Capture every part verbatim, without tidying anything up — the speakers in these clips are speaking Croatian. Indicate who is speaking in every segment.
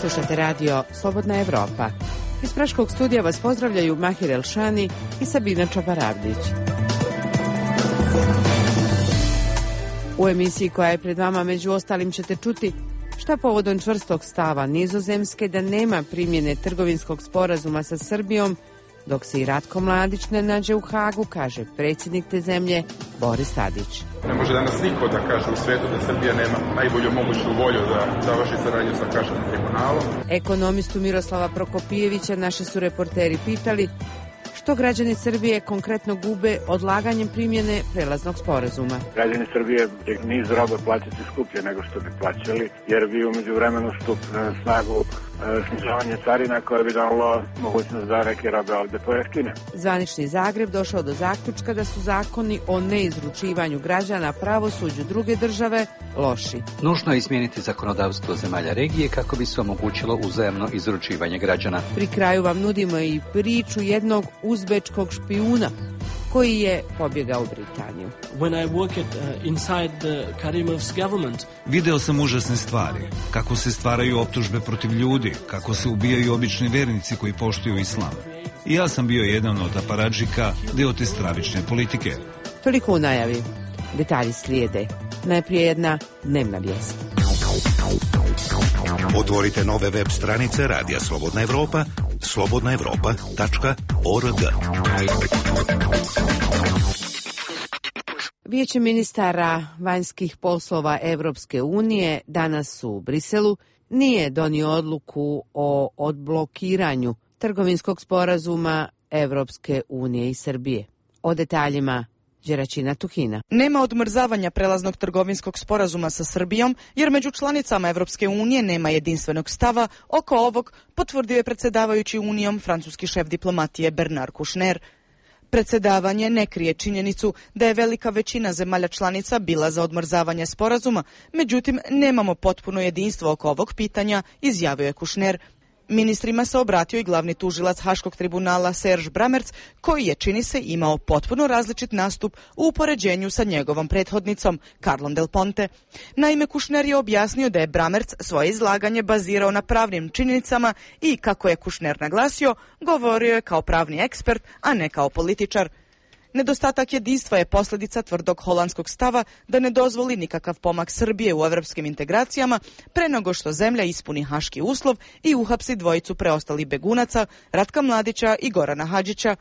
Speaker 1: Slušate radio Slobodna Evropa. Iz Praškog studija vas pozdravljaju Mahir Elšani i Sabina Čabaravdić. U emisiji koja je pred vama među ostalim ćete čuti šta povodom čvrstog stava Nizozemske da nema primjene trgovinskog sporazuma sa Srbijom, dok se i Ratko Mladić ne nađe u Hagu, kaže predsjednik te zemlje Boris Tadić.
Speaker 2: Ne može danas niko da kaže u svijetu da Srbija nema najbolju moguću volju da završi saradnju sa Haškim tribunalom.
Speaker 1: Ekonomistu Miroslava Prokopijevića naši su reporteri pitali što građani Srbije konkretno gube odlaganjem primjene prelaznog sporazuma.
Speaker 3: Građani Srbije niz robe plaćati skuplje nego što bi plaćali, jer bi u međuvremenu stup na snagu snižavanje carina koje bi dalo mogućnost da neke robe ovde pojeftine.
Speaker 1: Zvanični Zagreb došao do zaključka da su zakoni o neizručivanju građana pravosuđu druge države loši.
Speaker 4: Nužno je izmijeniti zakonodavstvo zemalja regije kako bi se omogućilo uzajamno izručivanje građana.
Speaker 1: Pri kraju vam nudimo i priču jednog uzbečkog špijuna koji je pobjegao u Britaniju.
Speaker 5: When I worked uh, inside the Karimov's government,
Speaker 6: video sam užasne stvari, kako se stvaraju optužbe protiv ljudi, kako se ubijaju obični vernici koji poštuju islam. I ja sam bio jedan od aparadžika, deo te stravične politike.
Speaker 1: Toliko u najavi. Detalji slijede. Najprije jedna dnevna vijest.
Speaker 7: Otvorite nove web stranice Radija Slobodna Evropa, slobodna evropa tačka org.
Speaker 1: Vijeće ministara vanjskih poslova Evropske unije danas u Briselu nije donio odluku o odblokiranju trgovinskog sporazuma Evropske unije i Srbije. O detaljima Đeračina Tuhina.
Speaker 8: Nema odmrzavanja prelaznog trgovinskog sporazuma sa Srbijom, jer među članicama Evropske unije nema jedinstvenog stava oko ovog, potvrdio je predsjedavajući Unijom francuski šef diplomatije Bernard Kouchner. Predsjedavanje ne krije činjenicu da je velika većina zemalja članica bila za odmrzavanje sporazuma, međutim nemamo potpuno jedinstvo oko ovog pitanja, izjavio je Kouchner. Ministrima se obratio i glavni tužilac Haškog tribunala Serge Bramertz, koji je, čini se, imao potpuno različit nastup u upoređenju sa njegovom prethodnicom, Carlom Del Ponte. Naime, Kouchner je objasnio da je Bramertz svoje izlaganje bazirao na pravnim činjenicama i, kako je Kouchner naglasio, govorio je kao pravni ekspert, a ne kao političar. Nedostatak jedinstva je posljedica tvrdog holandskog stava da ne dozvoli nikakav pomak Srbije u evropskim integracijama pre nego što zemlja ispuni haški uslov i uhapsi dvojicu preostalih begunaca, Ratka Mladića i Gorana Hadžića.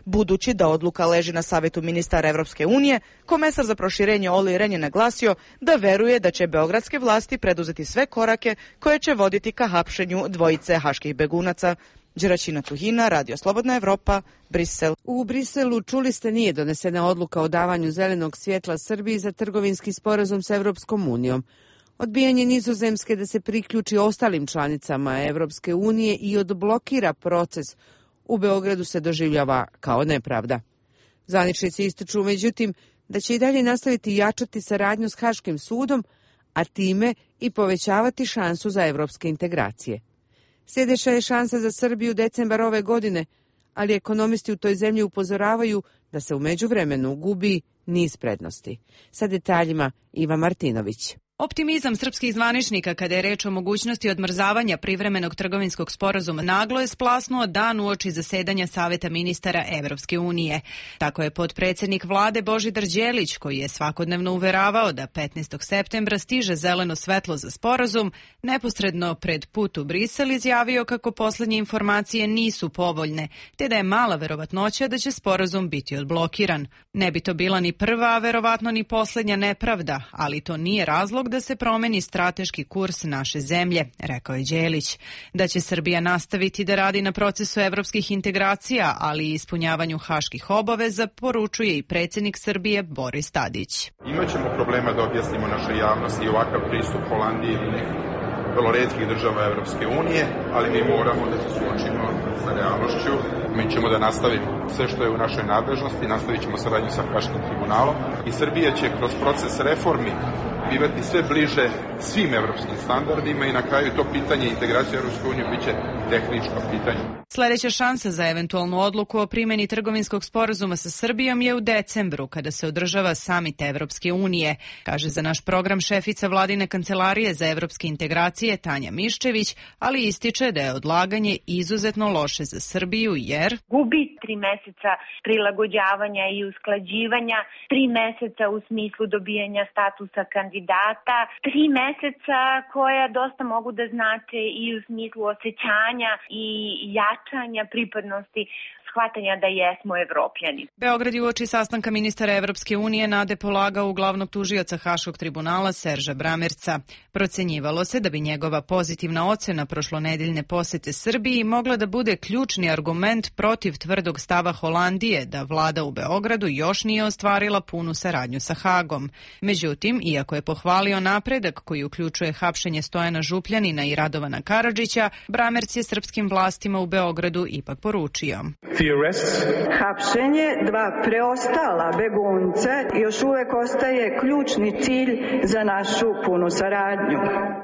Speaker 8: Budući da odluka leži na Savetu ministara Evropske unije, komesar za proširenje Olli Rehn je naglasio da veruje da će beogradske vlasti preduzeti sve korake koje će voditi ka hapšenju dvojice haških begunaca. Đeračina Tuhina, Radio Slobodna Evropa, Brisel.
Speaker 1: U Briselu, čuli ste, nije donesena odluka o davanju zelenog svjetla Srbiji za trgovinski sporazum sa Evropskom unijom. Odbijanje Nizozemske da se priključi ostalim članicama Evropske unije i odblokira proces u Beogradu se doživljava kao nepravda. Zvaničnici ističu, međutim, da će i dalje nastaviti jačati saradnju s Haškim sudom, a time i povećavati šansu za evropske integracije. Sljedeća je šansa za Srbiju decembar ove godine, ali ekonomisti u toj zemlji upozoravaju da se u međuvremenu gubi niz prednosti. Sa detaljima Iva Martinović.
Speaker 9: Optimizam srpskih zvaničnika kada je reč o mogućnosti odmrzavanja privremenog trgovinskog sporazuma naglo je splasnuo dan uoči zasedanja Saveta ministara Evropske unije. Tako je potpredsjednik vlade Božidar Đelić, koji je svakodnevno uveravao da petnaestog septembra stiže zeleno svetlo za sporazum, neposredno pred put u Brisel izjavio kako posljednje informacije nisu povoljne, te da je mala verovatnoća da će sporazum biti odblokiran. Ne bi to bila ni prva, a verovatno ni posljednja nepravda, ali to nije razlog da se promeni strateški kurs naše zemlje, rekao je Đelić. Da će Srbija nastaviti da radi na procesu evropskih integracija, ali i ispunjavanju haških obaveza, poručuje i predsjednik Srbije Boris Tadić.
Speaker 2: Imaćemo problema da objasnimo našoj javnosti i ovakav pristup Holandije ili nekih vrlo retkih država Evropske unije, ali mi moramo da se suočimo sa realnošću. Mi ćemo da nastavimo sve što je u našoj nadležnosti, nastavit ćemo saradnju sa Haškim tribunalom i Srbija će kroz proces reformi bivati sve bliže svim evropskim standardima i na kraju to pitanje integracije u Europsku uniju biće tehničko pitanje.
Speaker 9: Sljedeća šansa za eventualnu odluku o primjeni trgovinskog sporazuma sa Srbijom je u decembru, kada se održava samit Evropske unije, kaže za naš program šefica vladine kancelarije za evropske integracije Tanja Miščević, ali ističe da je odlaganje izuzetno loše za Srbiju jer
Speaker 10: gubi tri meseca prilagođavanja i usklađivanja, tri meseca u smislu dobijanja statusa kandidata, tri meseca koja dosta mogu da znače i u smislu osjećanja i jačanja pripadnosti, shvatanja da jesmo Evropljani.
Speaker 9: Beograd je uoči sastanka ministara Evropske unije nade polagao u glavnog tužioca Haškog tribunala Serža Bramerca. Procenjivalo se da bi njegova pozitivna ocena prošlonedeljne posete Srbiji mogla da bude ključni argument protiv tvrdog stava Holandije da vlada u Beogradu još nije ostvarila punu saradnju sa Hagom. Međutim, iako je pohvalio napredak koji uključuje hapšenje Stojana Župljanina i Radovana Karadžića, Bramerc je srpskim vlastima u Beogradu ipak poručio:
Speaker 11: hapšenje dva preostala begunca još uvek ostaje ključni cilj za našu punu saradnju.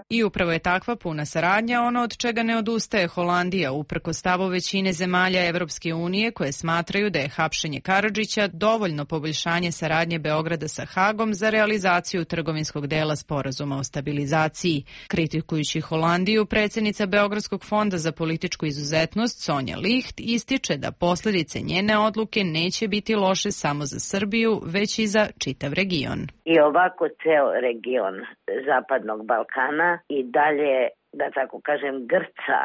Speaker 9: I upravo je takva puna saradnja ono od čega ne odustaje Holandija, uprkos stavu većine zemalja Evropske unije koje smatraju da je hapšenje Karadžića dovoljno poboljšanje saradnje Beograda sa Hagom za realizaciju trgovinskog dela sporazuma o stabilizaciji. Kritikujući Holandiju, predsjednica Beogradskog fonda za političku izuzetnost Sonja Licht ističe da posljedice njene odluke neće biti loše samo za Srbiju, već i za čitav region.
Speaker 12: I ovako ceo region Zapadnog Balkana i dalje, da tako kažem, grca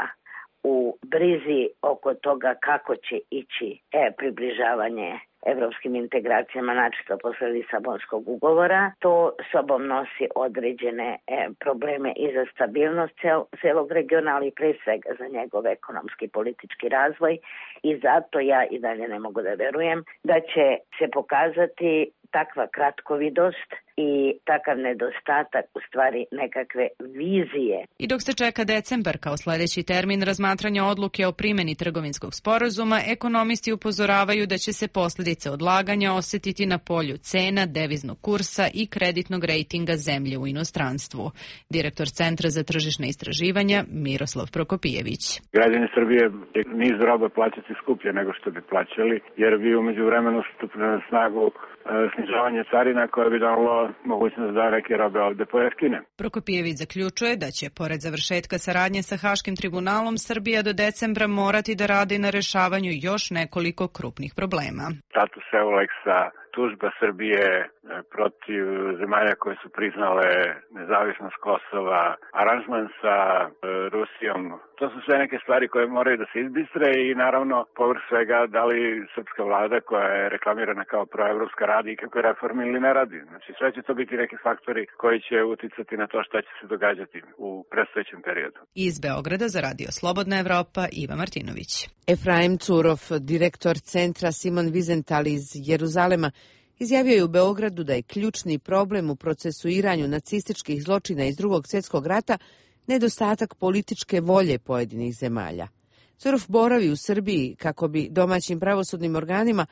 Speaker 12: u brizi oko toga kako će ići e, približavanje evropskim integracijama, načisto posle Lisabonskog ugovora. To sobom nosi određene e, probleme i za stabilnost cel, celog regiona, ali pre svega za njegov ekonomski i politički razvoj i zato ja i dalje ne mogu da verujem da će se pokazati takva kratkovidost i takav nedostatak u stvari nekakve vizije.
Speaker 9: I dok se čeka decembar kao sljedeći termin razmatranja odluke o primjeni trgovinskog sporazuma, ekonomisti upozoravaju da će se posljedice odlaganja osjetiti na polju cena, deviznog kursa i kreditnog rejtinga zemlje u inostranstvu. Direktor Centra za tržišne istraživanja Miroslav Prokopijević.
Speaker 3: Građani Srbije niz roba plaćati skuplje nego što bi plaćali, jer bi u međuvremenu stupili na snagu snižavanje carina koje bi dalo mogućnost da neke robe ovde pojeftine.
Speaker 9: Prokopijević zaključuje da će, pored završetka saradnje sa Haškim tribunalom, Srbija do decembra morati da radi na rešavanju još nekoliko krupnih problema.
Speaker 3: Status Euleksa, tužba Srbije protiv zemalja koje su priznale nezavisnost Kosova, aranžman sa Rusijom. To su sve neke stvari koje moraju da se izbistre i naravno povrh svega da li srpska vlada koja je reklamirana kao proevropska radi i kako reformi ili ne radi. Znači sve će to biti neki faktori koji će uticati na to šta će se događati u predstojećem periodu.
Speaker 9: Iz Beograda za Radio Slobodna Evropa Iva Martinović.
Speaker 1: Efraim Curov, direktor Centra Simon Wiesenthal iz Jeruzalema, izjavio je u Beogradu da je ključni problem u procesuiranju nacističkih zločina iz Drugog svjetskog rata nedostatak političke volje pojedinih zemalja. Curov boravi u Srbiji kako bi domaćim pravosudnim organima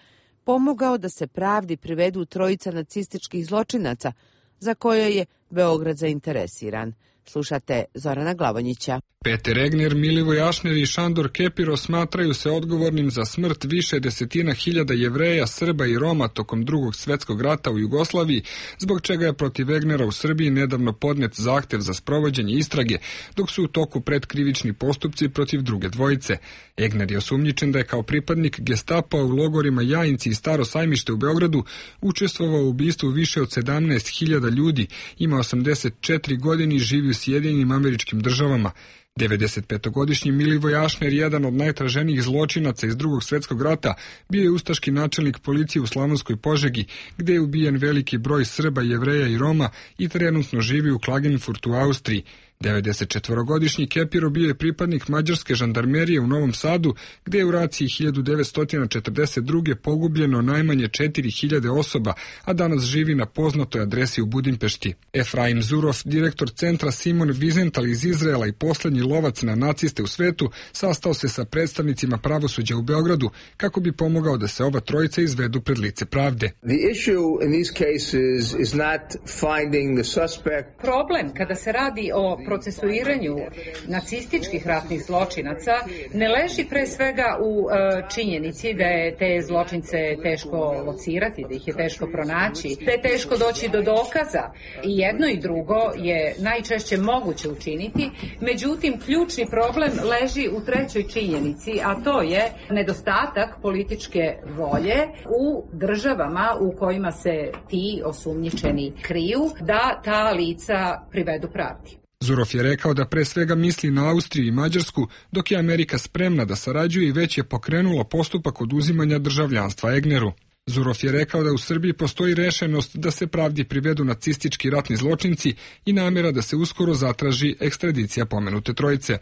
Speaker 1: pomogao da se pravdi privedu trojica nacističkih zločinaca za koje je Beograd zainteresiran. Slušate Zorana Glavonjića.
Speaker 13: Peter Egner, Milivoj Ašner i Šandor Kepiro smatraju se odgovornim za smrt više desetina hiljada Jevreja, Srba i Roma tokom Drugog svjetskog rata u Jugoslaviji, zbog čega je protiv Egnera u Srbiji nedavno podnet zahtev za sprovođenje istrage, dok su u toku predkrivični postupci protiv druge dvojice. Egner je osumnjičen da je kao pripadnik Gestapa u logorima Jajinci i Staro Sajmište u Beogradu učestvovao u ubistvu više od sedamnaest hiljada ljudi, ima osamdeset četiri godine i živi u Sjedinjenim Američkim Državama. devedesetpetogodišnji Milivoj Ašner, jedan od najtraženijih zločinaca iz Drugog svjetskog rata, bio je ustaški načelnik policije u Slavonskoj Požegi, gdje je ubijen veliki broj Srba, Jevreja i Roma i trenutno živi u Klagenfurtu u Austriji. devedesetčetvorogodišnji Kepiro bio je pripadnik mađarske žandarmerije u Novom Sadu, gdje je u raciji hiljadu devetsto četrdeset druge pogubljeno najmanje četiri hiljade osoba, a danas živi na poznatoj adresi u Budimpešti. Efraim Zurov, direktor Centra Simon Wiesenthal iz Izraela i posljednji lovac na naciste u svetu, sastao se sa predstavnicima pravosuđa u Beogradu kako bi pomogao da se ova trojica izvedu pred lice pravde.
Speaker 14: Problem kada se radi o procesuiranju nacističkih ratnih zločinaca ne leži pre svega u e, činjenici da je te zločince teško locirati, da ih je teško pronaći, da je teško doći do dokaza. I jedno i drugo je najčešće moguće učiniti, međutim ključni problem leži u trećoj činjenici, a to je nedostatak političke volje u državama u kojima se ti osumnjičeni kriju, da ta lica privedu pravdi.
Speaker 13: Zurov je rekao da pre svega misli na Austriju i Mađarsku, dok je Amerika spremna da sarađuje i već je pokrenula postupak oduzimanja državljanstva Egneru. Zurov je rekao da u Srbiji postoji rešenost da se pravdi privedu nacistički ratni zločinci i namjera da se uskoro zatraži ekstradicija pomenute trojice.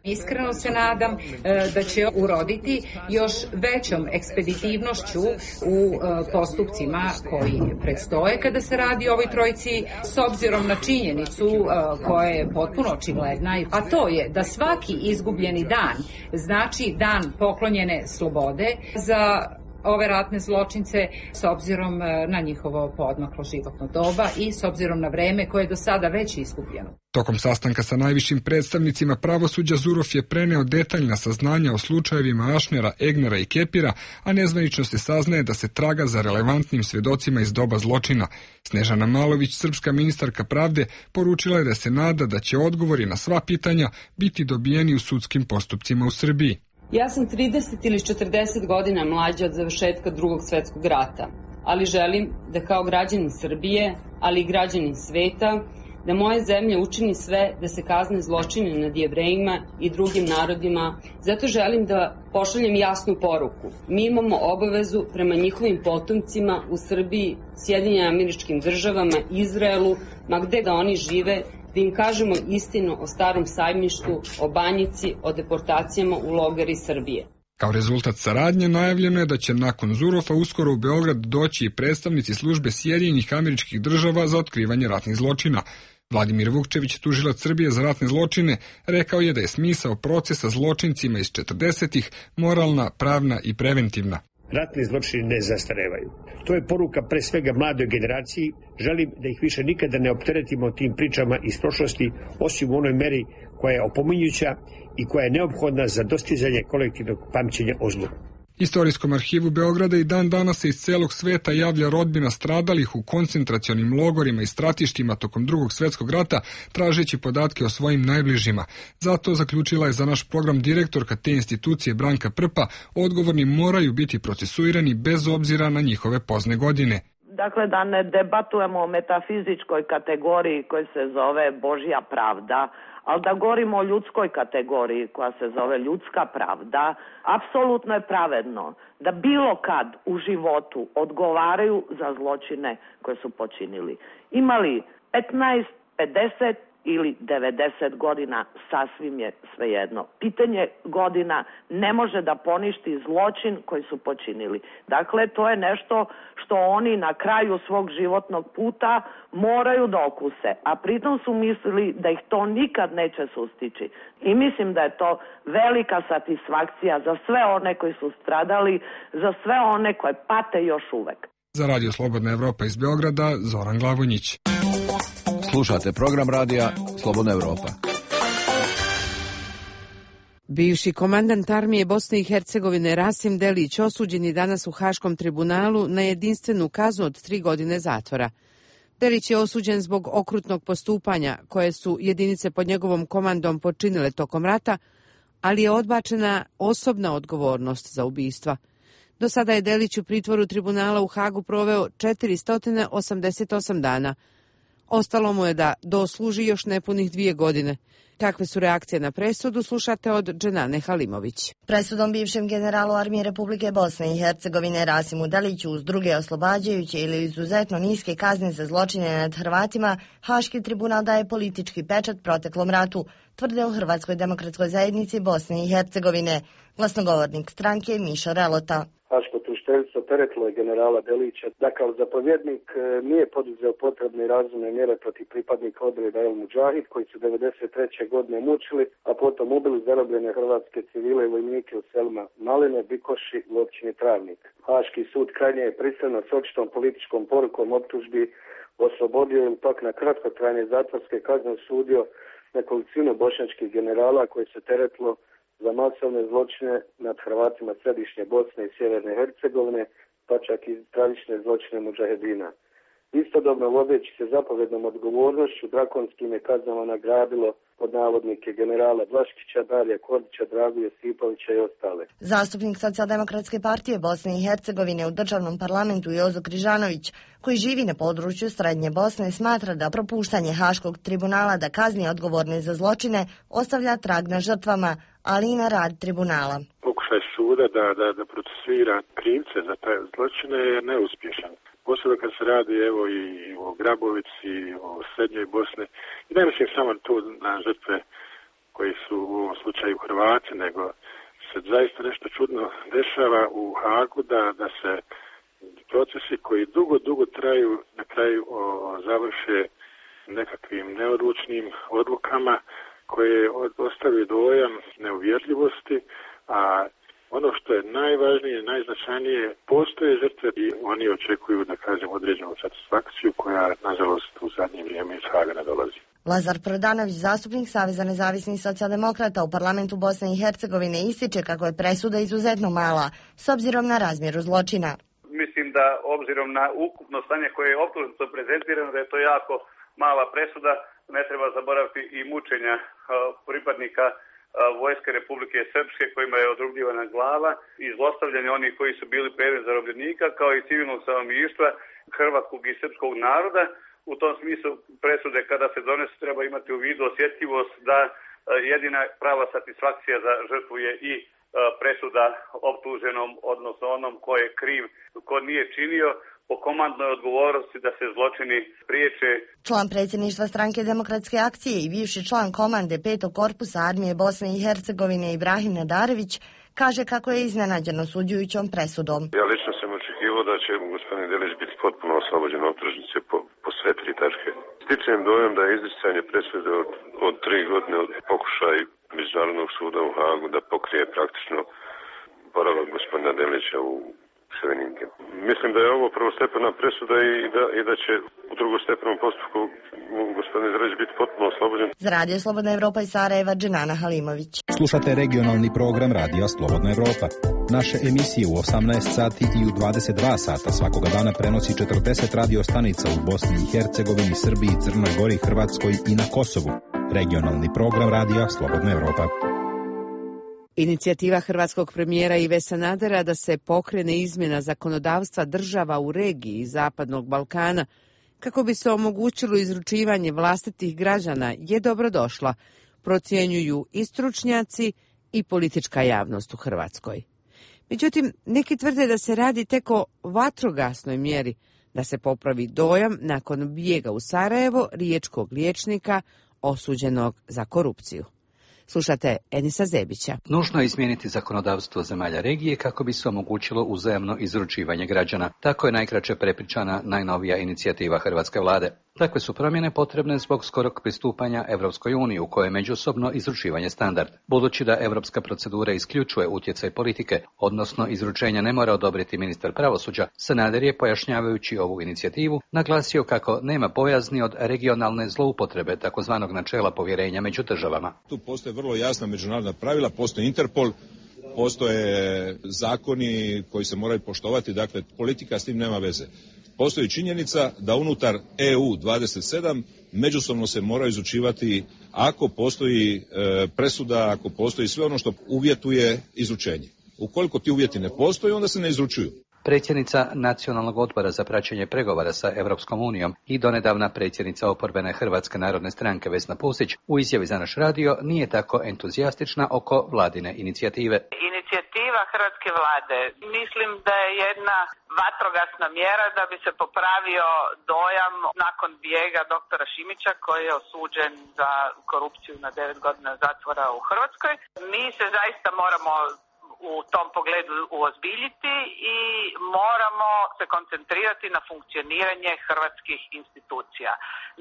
Speaker 14: Iskreno se nadam e, da će uroditi još većom ekspeditivnošću u e, postupcima koji predstoje kada se radi o ovoj trojici, s obzirom na činjenicu e, koja je potpuno očigledna, a to je da svaki izgubljeni dan znači dan poklonjene slobode za ove ratne zločince s obzirom na njihovo poodmaklo životno doba i s obzirom na vreme koje je do sada već izgubljeno.
Speaker 13: Tokom sastanka sa najvišim predstavnicima pravosuđa Zurov je preneo detaljna saznanja o slučajevima Ašnera, Egnera i Kepira, a nezvanično se saznaje da se traga za relevantnim svedocima iz doba zločina. Snežana Malović, srpska ministarka pravde, poručila je da se nada da će odgovori na sva pitanja biti dobijeni u sudskim postupcima u Srbiji.
Speaker 15: Ja sam trideset ili četrdeset godina mlađa od završetka Drugog svetskog rata, ali želim da kao građanin Srbije, ali i građanin sveta, da moja zemlja učini sve da se kazne zločine nad Jevrejima i drugim narodima. Zato želim da pošaljem jasnu poruku. Mi imamo obavezu prema njihovim potomcima u Srbiji, Sjedinjenim Američkim Državama, Izraelu, ma gde da oni žive, da im kažemo istinu o Starom sajmištu, o Banjici, o deportacijama u logori Srbije.
Speaker 13: Kao rezultat saradnje najavljeno je da će nakon Zurova uskoro u Beograd doći i predstavnici službe Sjedinjenih Američkih Država za otkrivanje ratnih zločina. Vladimir Vukčević, tužilac Srbije za ratne zločine, rekao je da je smisao procesa zločincima iz četrdesetih moralna, pravna i preventivna.
Speaker 16: Ratni zločini ne zastarevaju. To je poruka pre svega mladoj generaciji. Želim da ih više nikada ne opteretimo tim pričama iz prošlosti, osim u onoj meri koja je opominjuća i koja je neophodna za dostizanje kolektivnog pamćenja o zlu.
Speaker 13: Istorijskom arhivu Beograda i dan danas se iz celog sveta javlja rodbina stradalih u koncentracionim logorima i stratištima tokom Drugog svetskog rata, tražeći podatke o svojim najbližima. Zato zaključila je za naš program direktorka te institucije Branka Prpa, odgovorni moraju biti procesuirani bez obzira na njihove pozne godine.
Speaker 17: Dakle, da ne debatujemo o metafizičkoj kategoriji koja se zove Božja pravda, ali da govorimo o ljudskoj kategoriji koja se zove ljudska pravda, apsolutno je pravedno da bilo kad u životu odgovaraju za zločine koje su počinili. Imali petnaest, pedeset ili devedeset godina, sasvim je svejedno. Pitanje godina ne može da poništi zločin koji su počinili. Dakle, to je nešto što oni na kraju svog životnog puta moraju da okuse, a pritom su mislili da ih to nikad neće sustići. I mislim da je to velika satisfakcija za sve one koji su stradali, za sve one koje pate još uvek.
Speaker 13: Za Radio Slobodna Evropa iz Beograda, Zoran Glavonjić.
Speaker 18: Slušate program radija Slobodna Evropa.
Speaker 1: Bivši komandant armije Bosne i Hercegovine Rasim Delić osuđen je danas u Haškom tribunalu na jedinstvenu kaznu od tri godine zatvora. Delić je osuđen zbog okrutnog postupanja koje su jedinice pod njegovom komandom počinile tokom rata, ali je odbačena osobna odgovornost za ubistva. Do sada je Delić u pritvoru tribunala u Hagu proveo četiristo osamdeset osam dana. Ostalo mu je da dosluži još nepunih dvije godine. Kakve su reakcije na presudu, slušate od Dženane Halimović.
Speaker 19: Presudom bivšem generalu armije Republike Bosne i Hercegovine Rasimu Deliću uz druge oslobađajuće ili izuzetno niske kazne za zločine nad Hrvatima, Haški tribunal daje politički pečat proteklom ratu, tvrde u Hrvatskoj demokratskoj zajednici Bosne i Hercegovine. Glasnogovornik stranke Mišo Relota.
Speaker 20: Haško tužiteljstvo teretilo je generala Delića da kao zapovjednik nije poduzeo potrebne i razumne mjere protiv pripadnika odreda El Mudžahid koji su devedeset treće godine mučili, a potom ubili zarobljene hrvatske civile i vojnike u selima Maline, Bikoši u općini Travnik. Haški sud krajnje je prisilno s očitom političkom porukom optužbi oslobodio ili pak na kratkotrajne zatvorske kazne osudio nekolicinu bošnjačkih generala koji se teretilo za masovne zločine nad Hrvatima središnje Bosne i Sjeverne Hercegovine, pa čak i stravične zločine mudžahedina. Istodobno vodeći se zapovjednom odgovornošću drakonskim je kaznama nagradilo pod navodnike generala Blaškića, Darija Kordića, Dragu Josipovića i ostale.
Speaker 19: Zastupnik Socijaldemokratske partije Bosne i Hercegovine u državnom parlamentu Jozo Križanović, koji živi na području Srednje Bosne, smatra da propuštanje Haškog tribunala da kazni odgovorne za zločine ostavlja trag na žrtvama, ali i na rad tribunala.
Speaker 21: Pokušaj suda da, da, da procesuira krivce za taj zločine je neuspješan. Posebno kad se radi evo i o Grabovici, o Srednjoj Bosni. I ne mislim samo tu na žrtve koji su u ovom slučaju Hrvati, nego se zaista nešto čudno dešava u Hagu da, da se procesi koji dugo, dugo traju, na kraju o, završe nekakvim neodlučnim odlukama koje ostavaju dojam neuvjerljivosti, a ono što je najvažnije, najznačajnije, postoje žrtve i oni očekuju, da kažem, određenu satisfakciju koja, nažalost, u zadnje vrijeme iz Haga ne dolazi.
Speaker 19: Lazar Prodanović, zastupnik Saveza nezavisnih socijaldemokrata u parlamentu Bosne i Hercegovine, ističe kako je presuda izuzetno mala, s obzirom na razmjeru zločina.
Speaker 22: Mislim da, obzirom na ukupno stanje koje je optužnico prezentirano, da je to jako mala presuda. Ne treba zaboraviti i mučenja pripadnika Vojske Republike Srpske kojima je odrubljivana glava i zlostavljanje onih koji su bili predmet zarobljenika, kao i civilnog stanovništva hrvatskog i srpskog naroda. U tom smislu presude kada se donesu treba imati u vidu osjetljivost da jedina prava satisfakcija za žrtvu je i presuda optuženom, odnosno onom ko je kriv, ko nije činio, po komandnoj odgovornosti da se zločini priječe.
Speaker 19: Član predsjedništva Stranke demokratske akcije i bivši član komande petog korpusa armije Bosne i Hercegovine Ibrahim Nadarević kaže kako je iznenađen osuđujućom presudom.
Speaker 23: Ja lično sam očekivao da će gospodin Delić biti potpuno oslobođen optužnice po, po sve tri tačke. Stičem dojam da je izricanje presude od, od tri godine od pokušaj Međunarodnog suda u Hagu da pokrije praktično boravak gospodina Delića u Ševeninke. Mislim da je ovo prvostepena presuda i da, i da će u drugostepenom postupku gospodin Delić biti potpuno oslobođen.
Speaker 19: Za Radio Slobodna Evropa iz Sarajeva, Dženana Halimović.
Speaker 24: Slušate regionalni program Radija Slobodna Evropa. Naše emisije u osamnaest sati i u dvadeset dva sata svakoga dana prenosi četrdeset radio stanica u Bosni i Hercegovini, Srbiji, Crnoj Gori, Hrvatskoj i na Kosovu. Regionalni program Radija Slobodna Evropa.
Speaker 1: Inicijativa hrvatskog premijera Ive Sanadera da se pokrene izmjena zakonodavstva država u regiji Zapadnog Balkana kako bi se omogućilo izručivanje vlastitih građana je dobrodošla, procjenjuju i stručnjaci i politička javnost u Hrvatskoj. Međutim, neki tvrde da se radi tek o vatrogasnoj mjeri, da se popravi dojam nakon bijega u Sarajevo riječkog liječnika osuđenog za korupciju. Slušate Enisa Zebića.
Speaker 4: Nužno je izmijeniti zakonodavstvo zemalja regije kako bi se omogućilo uzajamno izručivanje građana. Tako je najkraće prepričana najnovija inicijativa hrvatske vlade. Takve su promjene potrebne zbog skorog pristupanja Europskoj uniji u kojoj je međusobno izručivanje standard. Budući da europska procedura isključuje utjecaj politike, odnosno izručenja ne mora odobriti ministar pravosuđa, Sanader je, pojašnjavajući ovu inicijativu, naglasio kako nema bojazni od regionalne zloupotrebe takozvanog načela povjerenja među državama.
Speaker 25: Tu postoje vrlo jasna međunarodna pravila, postoji Interpol, postoje zakoni koji se moraju poštovati, dakle politika s tim nema veze. Postoji činjenica da unutar E U dvadeset sedam međusobno se mora izučivati ako postoji e, presuda, ako postoji sve ono što uvjetuje izručenje. Ukoliko ti uvjeti ne postoje, onda se ne izručuju.
Speaker 4: Predsjednica Nacionalnog odbora za praćenje pregovora sa Europskom unijom i donedavna predsjednica oporbene Hrvatske narodne stranke Vesna Pusić u izjavi za naš radio nije tako entuzijastična oko vladine inicijative.
Speaker 26: Inicijativa hrvatske vlade mislim da je jedna vatrogasna mjera da bi se popravio dojam nakon bijega doktora Šimića koji je osuđen za korupciju na devet godina zatvora u Hrvatskoj. Mi se zaista moramo u tom pogledu uozbiljiti i moramo se koncentrirati na funkcioniranje hrvatskih institucija.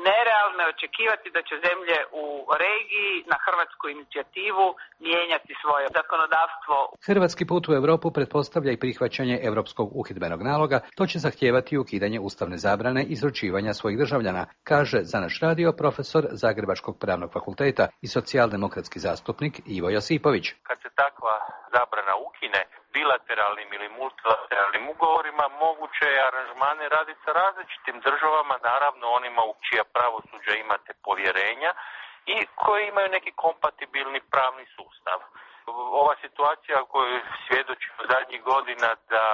Speaker 26: Nerealno je očekivati da će zemlje u regiji na hrvatsku inicijativu mijenjati svoje zakonodavstvo.
Speaker 4: Hrvatski put u Europu pretpostavlja i prihvaćanje europskog uhidbenog naloga, to će zahtijevati ukidanje ustavne zabrane izručivanja svojih državljana, kaže za naš radio profesor Zagrebačkog pravnog fakulteta i socijaldemokratski zastupnik Ivo Josipović.
Speaker 2: Kad se takva zabrana ukine bilateralnim ili multilateralnim ugovorima, moguće je aranžmane raditi sa različitim državama, naravno onima u čija pravosuđa imate povjerenja i koji imaju neki kompatibilni pravni sustav. Ova situacija koju svjedočimo zadnjih godina da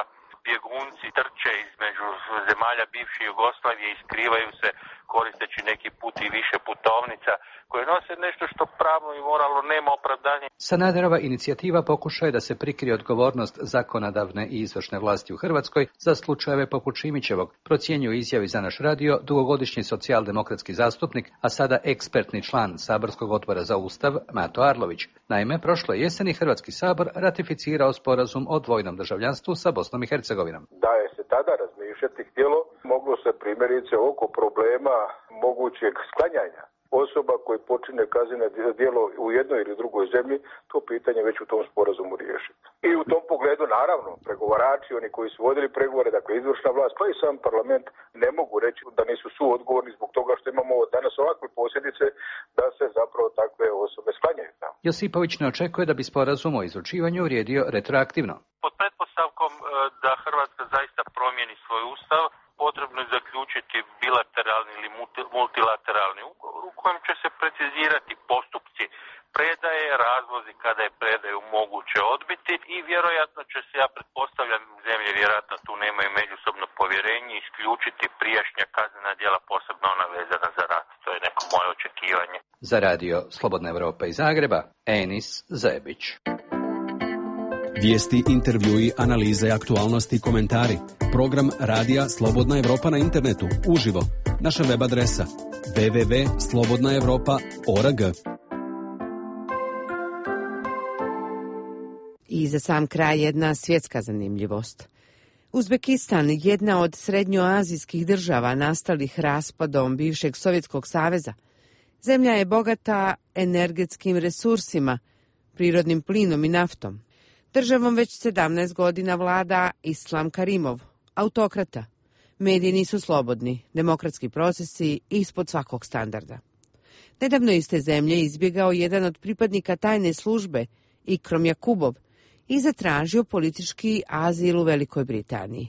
Speaker 2: bjegunci trče između zemalja bivše Jugoslavije i skrivaju se koristeći neki put i više putovnica koje nose nešto što pravno i moralno nema opravdanje.
Speaker 4: Sanaderova inicijativa pokušaje da se prikrije odgovornost zakonodavne i izvršne vlasti u Hrvatskoj za slučajeve poput Šimićevog, procjenjuje izjavi za naš radio dugogodišnji socijaldemokratski zastupnik, a sada ekspertni član Saborskog odbora za Ustav Mato Arlović. Naime, prošle jeseni Hrvatski sabor ratificirao sporazum o dvojnom državljanstvu sa Bosnom i Hercegovinom.
Speaker 5: Da je se tada razmišljati htjelo, moglo se primjerice oko problema mogućeg sklanjanja osoba koji počine kazneno djelo u jednoj ili drugoj zemlji, to pitanje već u tom sporazumu riješiti. I u tom pogledu, naravno, pregovarači, oni koji su vodili pregovore, dakle izvršna vlast, pa i sam parlament, ne mogu reći da nisu suodgovorni zbog toga što imamo danas ovakve posljedice da se zapravo takve osobe sklanjaju tamo.
Speaker 4: Josipović ne očekuje da bi sporazum o izručivanju vrijedio retroaktivno.
Speaker 2: Pod pretpostavkom da Hrvatska zaista promijeni svoj ustav, potrebno je zaključiti bilateralni ili multilateralni ugovor u kojem će se precizirati postupci predaje, razlozi kada je predaju moguće odbiti i vjerojatno će se, ja pretpostavljam, zemlje vjerojatno tu nemaju međusobno povjerenje, isključiti prijašnja kaznena djela, posebno ona vezana za rat. To je neko moje očekivanje.
Speaker 4: Za radio Slobodna Evropa iz Zagreba, Enis Zebić.
Speaker 6: Vijesti, intervjui, analize, aktualnosti i komentari. Program Radija Slobodna Evropa na internetu, uživo. Naša web adresa w w w tačka slobodna evropa tačka org.
Speaker 1: I za sam kraj jedna svjetska zanimljivost. Uzbekistan, jedna od srednjoazijskih država nastalih raspadom bivšeg Sovjetskog saveza. Zemlja je bogata energetskim resursima, prirodnim plinom i naftom. Državom već sedamnaest godina vlada Islam Karimov, autokrata. Mediji nisu slobodni, demokratski procesi ispod svakog standarda. Nedavno iz te zemlje izbjegao jedan od pripadnika tajne službe, Ikrom Jakubov, i zatražio politički azil u Velikoj Britaniji.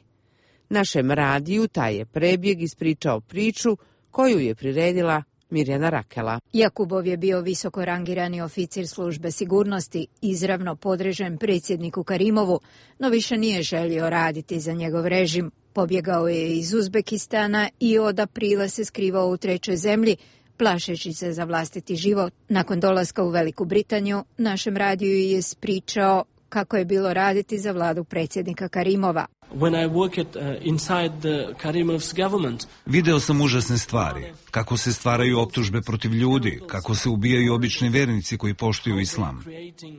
Speaker 1: Našem radiju taj je prebjeg ispričao priču koju je priredila Mirjana Rakela.
Speaker 7: Jakubov je bio visoko rangirani oficir službe sigurnosti, izravno podrežen predsjedniku Karimovu, no više nije želio raditi za njegov režim. Pobjegao je iz Uzbekistana i od aprila se skrivao u trećoj zemlji, plašeći se za vlastiti život. Nakon dolaska u Veliku Britaniju, našem radiju je ispričao kako je bilo raditi za vladu predsjednika Karimova.
Speaker 8: When I worked uh, inside the Karimov's government,
Speaker 10: video sam užasne stvari, kako se stvaraju optužbe protiv ljudi, kako se ubijaju obični vjernici koji poštuju islam.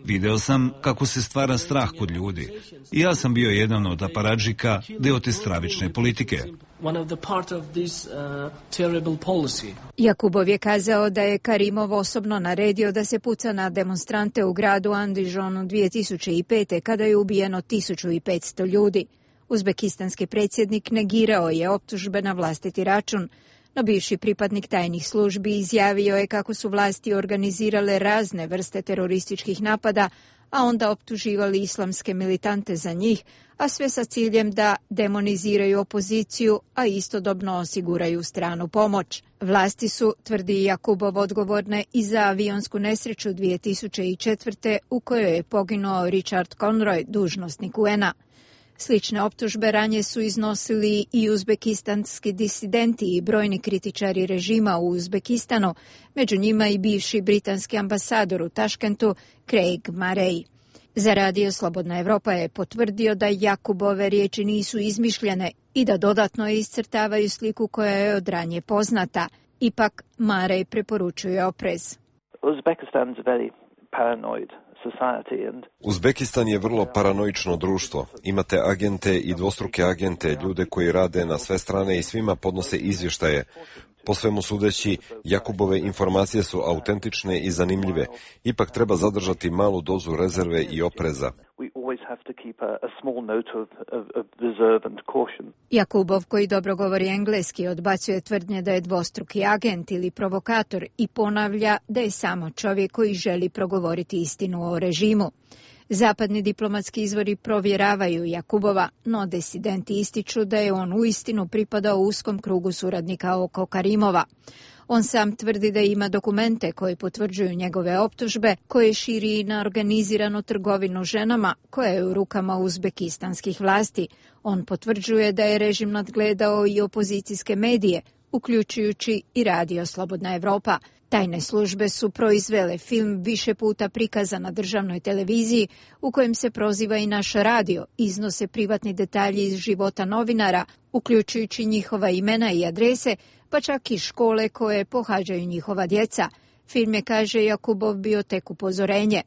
Speaker 10: Video sam kako se stvara strah kod ljudi. I ja sam bio jedan od aparadžika, deo te stravične politike.
Speaker 8: one of the part of this uh, terrible policy.
Speaker 7: Jakubov je kazao da je Karimov osobno naredio da se puca na demonstrante u gradu Andijanu dvije tisuće pete kada je ubijeno tisuću petsto ljudi. Uzbekistanski predsjednik negirao je optužbe na vlastiti račun, no bivši pripadnik tajnih službi izjavio je kako su vlasti organizirale razne vrste terorističkih napada, a onda optuživali islamske militante za njih, a sve sa ciljem da demoniziraju opoziciju, a istodobno osiguraju stranu pomoć. Vlasti su, tvrdi Jakubov, odgovorne i za avionsku nesreću dvije tisuće četvrte u kojoj je poginuo Richard Conroy, dužnosnik U N A. Slične optužbe ranije su iznosili i uzbekistanski disidenti i brojni kritičari režima u Uzbekistanu, među njima i bivši britanski ambasador u Taškentu Craig Murray. Za radio Slobodna Evropa je potvrdio da Jakubove riječi nisu izmišljene i da dodatno iscrtavaju sliku koja je od ranije poznata. Ipak Murray preporučuje oprez.
Speaker 27: Uzbekistan is a very paranoid
Speaker 3: Uzbekistan je vrlo paranoično društvo. Imate agente i dvostruke agente, ljude koji rade na sve strane i svima podnose izvještaje. Po svemu sudeći, Jakubove informacije su autentične i zanimljive. Ipak treba zadržati malu dozu rezerve i opreza.
Speaker 7: Jakubov, koji dobro govori engleski, odbacuje tvrdnje da je dvostruki agent ili provokator i ponavlja da je samo čovjek koji želi progovoriti istinu o režimu. Zapadni diplomatski izvori provjeravaju Jakubova, no disidenti ističu da je on uistinu pripadao uskom krugu suradnika oko Karimova. On sam tvrdi da ima dokumente koji potvrđuju njegove optužbe, koje širi na organiziranu trgovinu ženama koja je u rukama uzbekistanskih vlasti. On potvrđuje da je režim nadgledao i opozicijske medije, uključujući i radio Slobodna Evropa. Tajne službe su proizvele film više puta prikazan na državnoj televiziji u kojem se proziva i naš radio, iznose privatni detalji iz života novinara, uključujući njihova imena i adrese, pa čak i škole koje pohađaju njihova djeca. Film je, kaže Jakubov, bio tek upozorenje.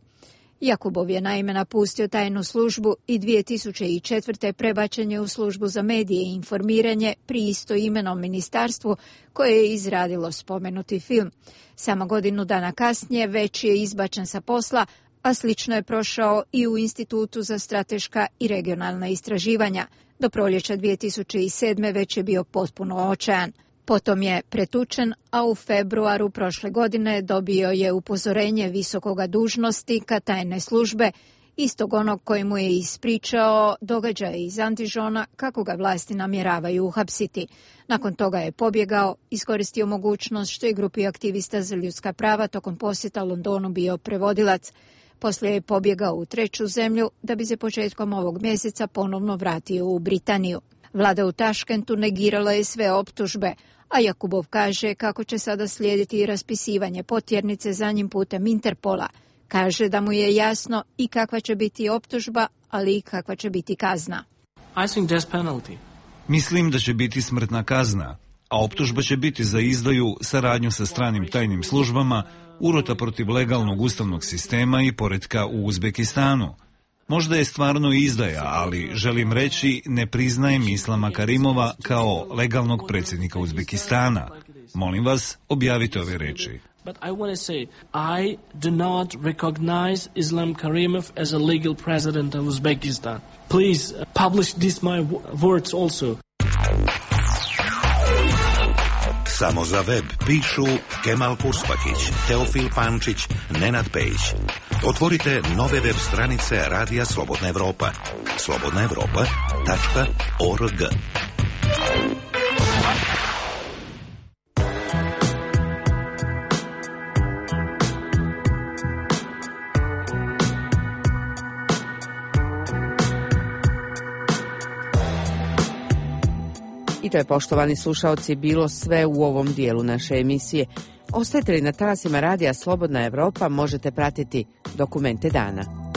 Speaker 7: Jakubov je naime napustio tajnu službu i dvije tisuće četvrte prebačen je u službu za medije i informiranje pri istoimenom ministarstvu koje je izradilo spomenuti film. Samo godinu dana kasnije već je izbačen sa posla, a slično je prošao i u Institutu za strateška i regionalna istraživanja. Do proljeća dvije tisuće sedme već je bio potpuno očajan. Potom je pretučen, a u februaru prošle godine dobio je upozorenje visokoga dužnosnika tajne službe, istog onog koji mu je ispričao događaje iz Andižona kako ga vlasti namjeravaju uhapsiti. Nakon toga je pobjegao, iskoristio mogućnost što je grupi aktivista za ljudska prava tokom posjeta Londonu bio prevodilac. Poslije je pobjegao u treću zemlju da bi se početkom ovog mjeseca ponovno vratio u Britaniju. Vlada u Taškentu negirala je sve optužbe, a Jakubov kaže kako će sada slijediti raspisivanje potjernice za njim putem Interpola. Kaže da mu je jasno i kakva će biti optužba, ali i kakva će biti kazna.
Speaker 10: Mislim da će biti smrtna kazna, a optužba će biti za izdaju, saradnju sa stranim tajnim službama, urota protiv legalnog ustavnog sistema i poretka u Uzbekistanu. Možda je stvarno izdaja, ali želim reći, ne priznajem Islama Karimova kao legalnog predsjednika Uzbekistana. Molim vas, objavite ove reči.
Speaker 8: But I want to say, I do not recognize Islam Karimov as a legal president of Uzbekistan. Please uh, publish these my words also.
Speaker 9: Samo za web pišu Kemal Purspakić, Teofil Pančić, Nenad Pejić. Otvorite nove web stranice Radija Slobodna Evropa. slobodna evropa tačka org.
Speaker 1: I to je, poštovani slušaoci, bilo sve u ovom dijelu naše emisije. Ostajete li na talasima Radija Slobodna Evropa, možete pratiti Dokumente dana.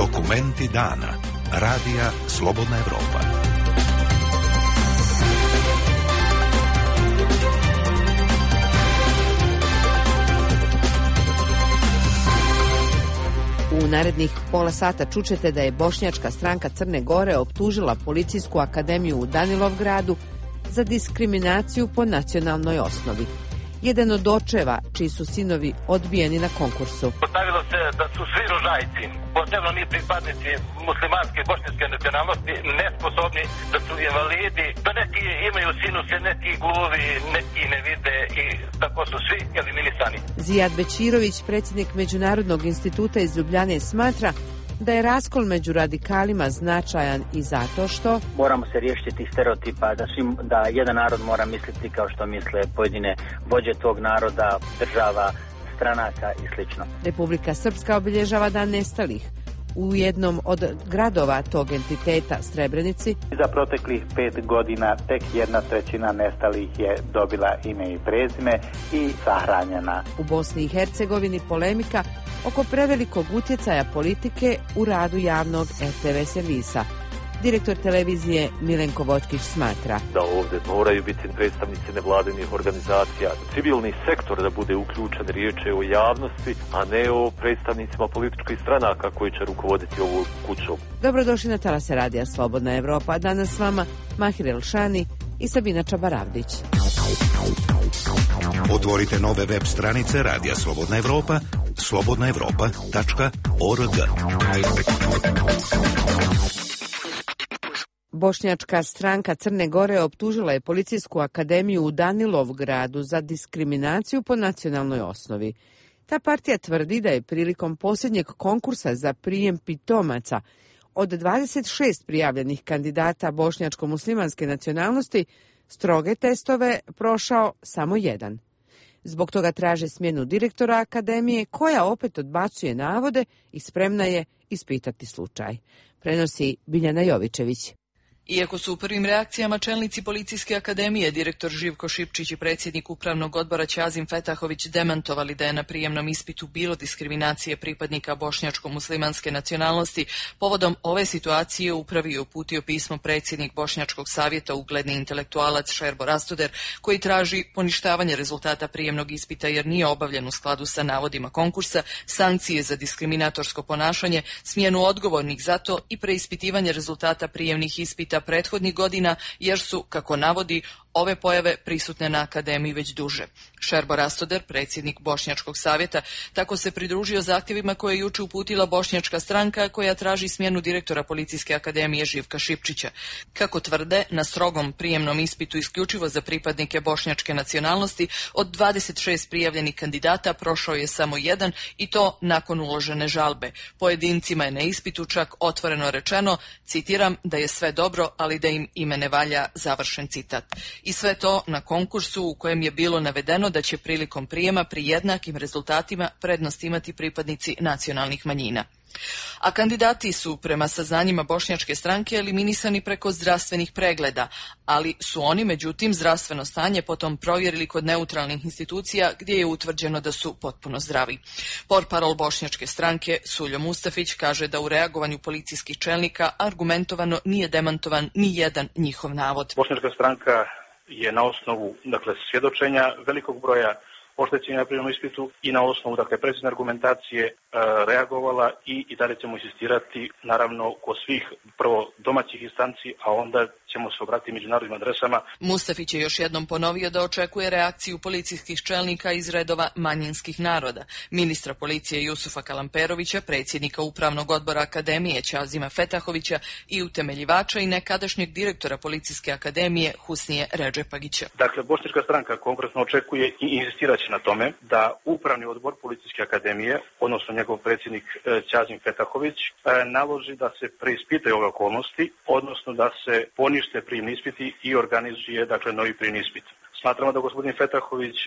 Speaker 9: Dokumenti dana. Radija Slobodna Evropa.
Speaker 1: U narednih pola sata čućete da je bošnjačka stranka Crne Gore optužila Policijsku akademiju u Danilovgradu za diskriminaciju po nacionalnoj osnovi. Jedan od očeva, čiji su sinovi odbijeni na konkursu.
Speaker 11: Postavilo se da su svi rožajci, posebno mi pripadnici muslimanske bošnjačke nacionalnosti, nesposobni, da su invalidi, da neki imaju sinuse, neki gluvi, neki ne vide i tako su svi eliminisani.
Speaker 1: Zijad Bećirović, predsjednik Međunarodnog instituta iz Ljubljane, smatra da je raskol među radikalima značajan i zato što
Speaker 12: moramo se riješiti tih stereotipa da, svim, da jedan narod mora misliti kao što misle pojedine vođe tog naroda, država, stranaka i slično.
Speaker 1: Republika Srpska obilježava Dan nestalih. U jednom od gradova tog entiteta, Srebrenici,
Speaker 14: za proteklih pet godina tek jedna trećina nestalih je dobila ime i prezime i sahranjena.
Speaker 1: U Bosni i Hercegovini polemika oko prevelikog utjecaja politike u radu javnog er te ve servisa. Direktor televizije Milenko Voćkić smatra
Speaker 15: da ovdje moraju biti predstavnici nevladinih organizacija, civilni sektor da bude uključen, riječ je o javnosti, a ne o predstavnicima političkih stranaka koji će rukovoditi ovu kućom.
Speaker 1: Dobrodošli na talase Radija Slobodna Evropa. Danas s vama Mahir Elšani i Sabina Čabaravdić.
Speaker 9: Otvorite nove web stranice Radija Slobodna Evropa, slobodna evropa tačka org.
Speaker 1: Bošnjačka stranka Crne Gore optužila je Policijsku akademiju u Danilovgradu za diskriminaciju po nacionalnoj osnovi. Ta partija tvrdi da je prilikom posljednjeg konkursa za prijem pitomaca od dvadeset šest prijavljenih kandidata bošnjačko-muslimanske nacionalnosti stroge testove prošao samo jedan. Zbog toga traže smjenu direktora akademije, koja opet odbacuje navode i spremna je ispitati slučaj. Prenosi Biljana Jovićević.
Speaker 16: Iako su u prvim reakcijama čelnici Policijske akademije, direktor Živko Šipčić i predsjednik upravnog odbora Ćazim Fetahović demantovali da je na prijemnom ispitu bilo diskriminacije pripadnika bošnjačko-muslimanske nacionalnosti, povodom ove situacije upravi je uputio pismo predsjednik Bošnjačkog savjeta, ugledni intelektualac Šerbo Rastoder, koji traži poništavanje rezultata prijemnog ispita jer nije obavljen u skladu sa navodima konkursa, sankcije za diskriminatorsko ponašanje, smjenu odgovornih za to i preispitivanje rezultata prijemnih ispita prethodnih godina, jer su, kako navodi, ove pojave prisutne na akademiji već duže. Šerbo Rastoder, predsjednik Bošnjačkog savjeta, tako se pridružio zahtjevima koje je juče uputila Bošnjačka stranka, koja traži smjenu direktora Policijske akademije Živka Šipčića. Kako tvrde, na strogom prijemnom ispitu isključivo za pripadnike bošnjačke nacionalnosti od dvadeset šest prijavljenih kandidata prošao je samo jedan, i to nakon uložene žalbe. Pojedincima je na ispitu čak otvoreno rečeno, citiram, da je sve dobro, ali da im ime ne valja, završen citat. I sve to na konkursu u kojem je bilo navedeno da će prilikom prijema pri jednakim rezultatima prednost imati pripadnici nacionalnih manjina. A kandidati su, prema saznanjima Bošnjačke stranke, eliminisani preko zdravstvenih pregleda, ali su oni, međutim, zdravstveno stanje potom provjerili kod neutralnih institucija gdje je utvrđeno da su potpuno zdravi. Portparol Bošnjačke stranke Suljo Mustafić kaže da u reagovanju policijskih čelnika argumentovano nije demantovan ni jedan njihov navod.
Speaker 17: Bošnjačka stranka je na osnovu, dakle, svjedočenja velikog broja oštećenja na prijemnom ispitu i na osnovu, dakle, precizne argumentacije e, reagovala i, i dalje ćemo insistirati, naravno, kod svih prvo domaćih instanci, a onda ćemo se obratiti međunarodnim adresama.
Speaker 16: Mustafić je još jednom ponovio da očekuje reakciju policijskih čelnika iz redova manjinskih naroda. Ministra policije Jusufa Kalamperovića, predsjednika upravnog odbora akademije Ćazima Fetahovića i utemeljivača i nekadašnjeg direktora Policijske akademije Husnije Redžepagića.
Speaker 17: Dakle, Bošnjačka stranka konkretno očekuje i insistiraće na tome da upravni odbor Policijske akademije, odnosno njegov predsjednik Ćazim Fetahović, naloži da se preispitaju ove okolnosti, odnosno da se ponište prijemni ispiti i organizuje, dakle, novi prijemni ispit. Smatramo da gospodin Fetahović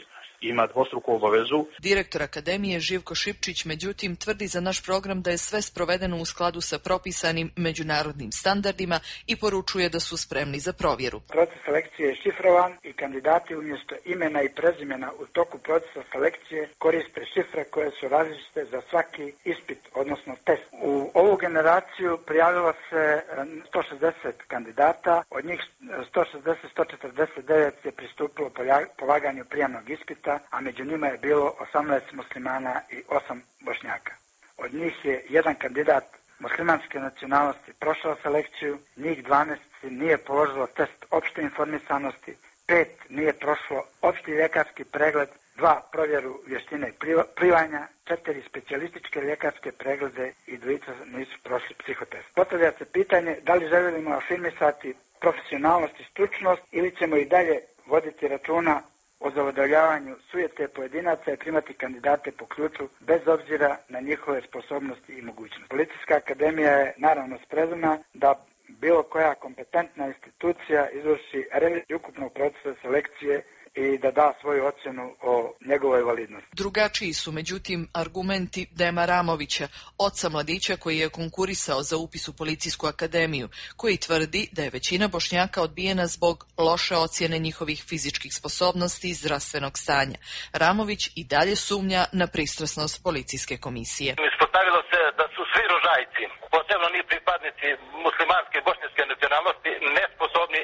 Speaker 17: ima dvostruku obavezu.
Speaker 16: Direktor Akademije Živko Šipčić međutim tvrdi za naš program da je sve sprovedeno u skladu sa propisanim međunarodnim standardima i poručuje da su spremni za provjeru.
Speaker 13: Proces selekcije je šifrovan i kandidati umjesto imena i prezimena u toku procesa selekcije koriste šifre koje su različite za svaki ispit, odnosno test. U ovu generaciju prijavilo se sto šezdeset kandidata, od njih sto šezdeset, sto četrdeset devet je pristupilo polaganju prijemnog ispita, a među njima je bilo osamnaest muslimana i osam Bošnjaka. Od njih je jedan kandidat muslimanske nacionalnosti prošao selekciju, njih dvanaest nije položilo test opšte informisanosti, pet nije prošlo opšti ljekarski pregled, dva provjeru vještine plivanja, četiri specijalističke ljekarske preglede i dvojica nisu prošli psihotest. Postavlja se pitanje da li želimo afirmisati profesionalnost i stručnost ili ćemo i dalje voditi računa o zadovoljavanju sujete pojedinaca i primati kandidate po ključu bez obzira na njihove sposobnosti i mogućnosti. Policijska akademija je naravno spremna da bilo koja kompetentna institucija izvrši reviziju ukupnog procesa selekcije i da da svoju ocjenu o njegovoj validnosti.
Speaker 16: Drugačiji su međutim argumenti Dema Ramovića, oca mladića koji je konkurisao za upis u Policijsku akademiju, koji tvrdi da je većina Bošnjaka odbijena zbog loše ocjene njihovih fizičkih sposobnosti i zdravstvenog stanja. Ramović i dalje sumnja na pristrasnost policijske komisije.
Speaker 11: Ispostavilo se da su svi rožajci, posebno ni pripadnici muslimanske bošnjačke nacionalnosti, nesposobni,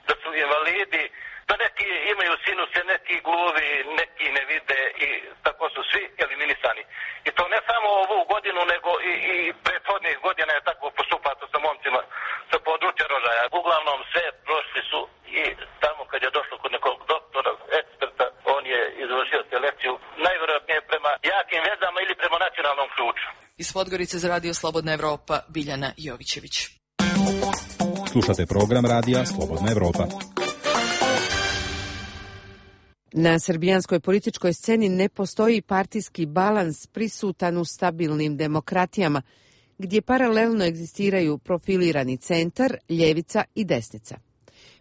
Speaker 11: da su invalidi, da neki imaju sinuse, neki gluvi, neki ne vide i tako su svi eliminisani. I to ne samo ovu godinu, nego i, i prethodnih godina je tako postupato sa momcima sa područja rožaja. Uglavnom sve prošli su i tamo kad je došlo kod nekog doktora, eksperta, on je izvršio selekciju najvjerojatnije prema jakim vezama ili prema nacionalnom ključu.
Speaker 16: Iz Podgorice za Radio Slobodna Evropa, Biljana Jovićević.
Speaker 24: Slušate program Radija Slobodna Evropa.
Speaker 1: Na srbijanskoj političkoj sceni ne postoji partijski balans prisutan u stabilnim demokratijama, gdje paralelno egzistiraju profilirani centar, ljevica i desnica.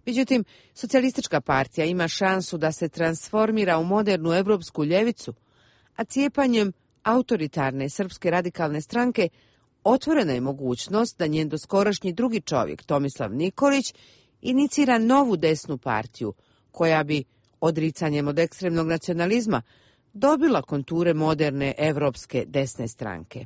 Speaker 1: Međutim, socijalistička partija ima šansu da se transformira u modernu evropsku ljevicu, a cijepanjem autoritarne srpske radikalne stranke otvorena je mogućnost da njen doskorašnji drugi čovjek, Tomislav Nikolić, inicira novu desnu partiju, koja bi odricanjem od ekstremnog nacionalizma dobila konture moderne evropske desne stranke.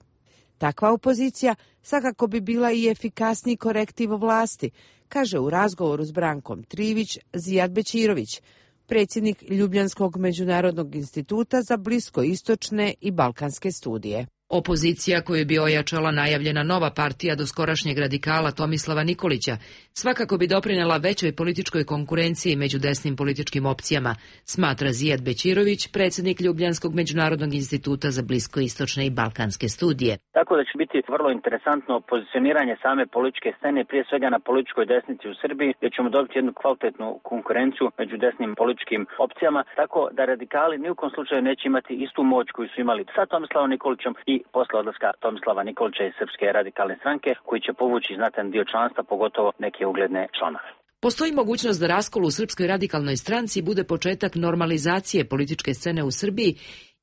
Speaker 1: Takva opozicija svakako bi bila i efikasniji korektiv vlasti, kaže u razgovoru s Brankom Trivić Zijad Bećirović, predsjednik Ljubljanskog međunarodnog instituta za bliskoistočne i balkanske studije.
Speaker 18: Opozicija koju bi ojačala najavljena nova partija doskorašnjeg radikala Tomislava Nikolića svakako bi doprinela većoj političkoj konkurenciji među desnim političkim opcijama, smatra Zijad Bećirović, predsjednik Ljubljanskog međunarodnog instituta za bliskoistočne i balkanske studije.
Speaker 12: Tako da će biti vrlo interesantno pozicioniranje same političke scene, prije svega na političkoj desnici u Srbiji, gdje ćemo dobiti jednu kvalitetnu konkurenciju među desnim političkim opcijama, tako da radikali ni u kom slučaju neće imati istu moć koju su imali sa Tomislavom Nikolićem i posle odlaska Tomislava Nikolića iz Srpske radikalne stranke, koji će povući znatan dio članstva, pogotovo neke ugledne članove.
Speaker 18: Postoji mogućnost da raskol u Srpskoj radikalnoj stranci bude početak normalizacije političke scene u Srbiji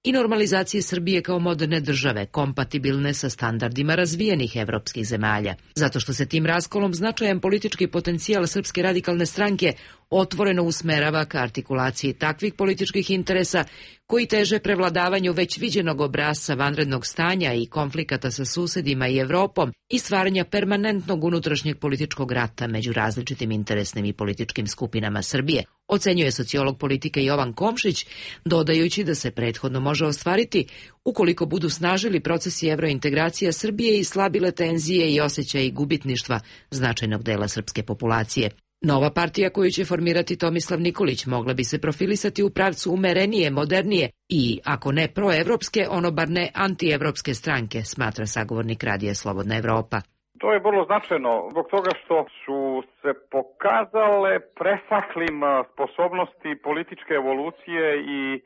Speaker 18: i normalizacije Srbije kao moderne države, kompatibilne sa standardima razvijenih evropskih zemalja. Zato što se tim raskolom značajan politički potencijal Srpske radikalne stranke otvoreno usmerava ka artikulaciji takvih političkih interesa koji teže prevladavanju već viđenog obrasca vanrednog stanja i konflikata sa susedima i Evropom i stvaranja permanentnog unutrašnjeg političkog rata među različitim interesnim i političkim skupinama Srbije, ocenjuje sociolog politike Jovan Komšić, dodajući da se prethodno može ostvariti ukoliko budu snažili procesi evrointegracija Srbije i slabile tenzije i osjećaji gubitništva značajnog dela srpske populacije. Nova partija koju će formirati Tomislav Nikolić mogla bi se profilisati u pravcu umerenije, modernije i, ako ne proevropske, ono bar ne antievropske stranke, smatra sagovornik Radija Slobodna Evropa.
Speaker 20: To je vrlo značajno zbog toga što su se pokazale presaklim sposobnosti političke evolucije i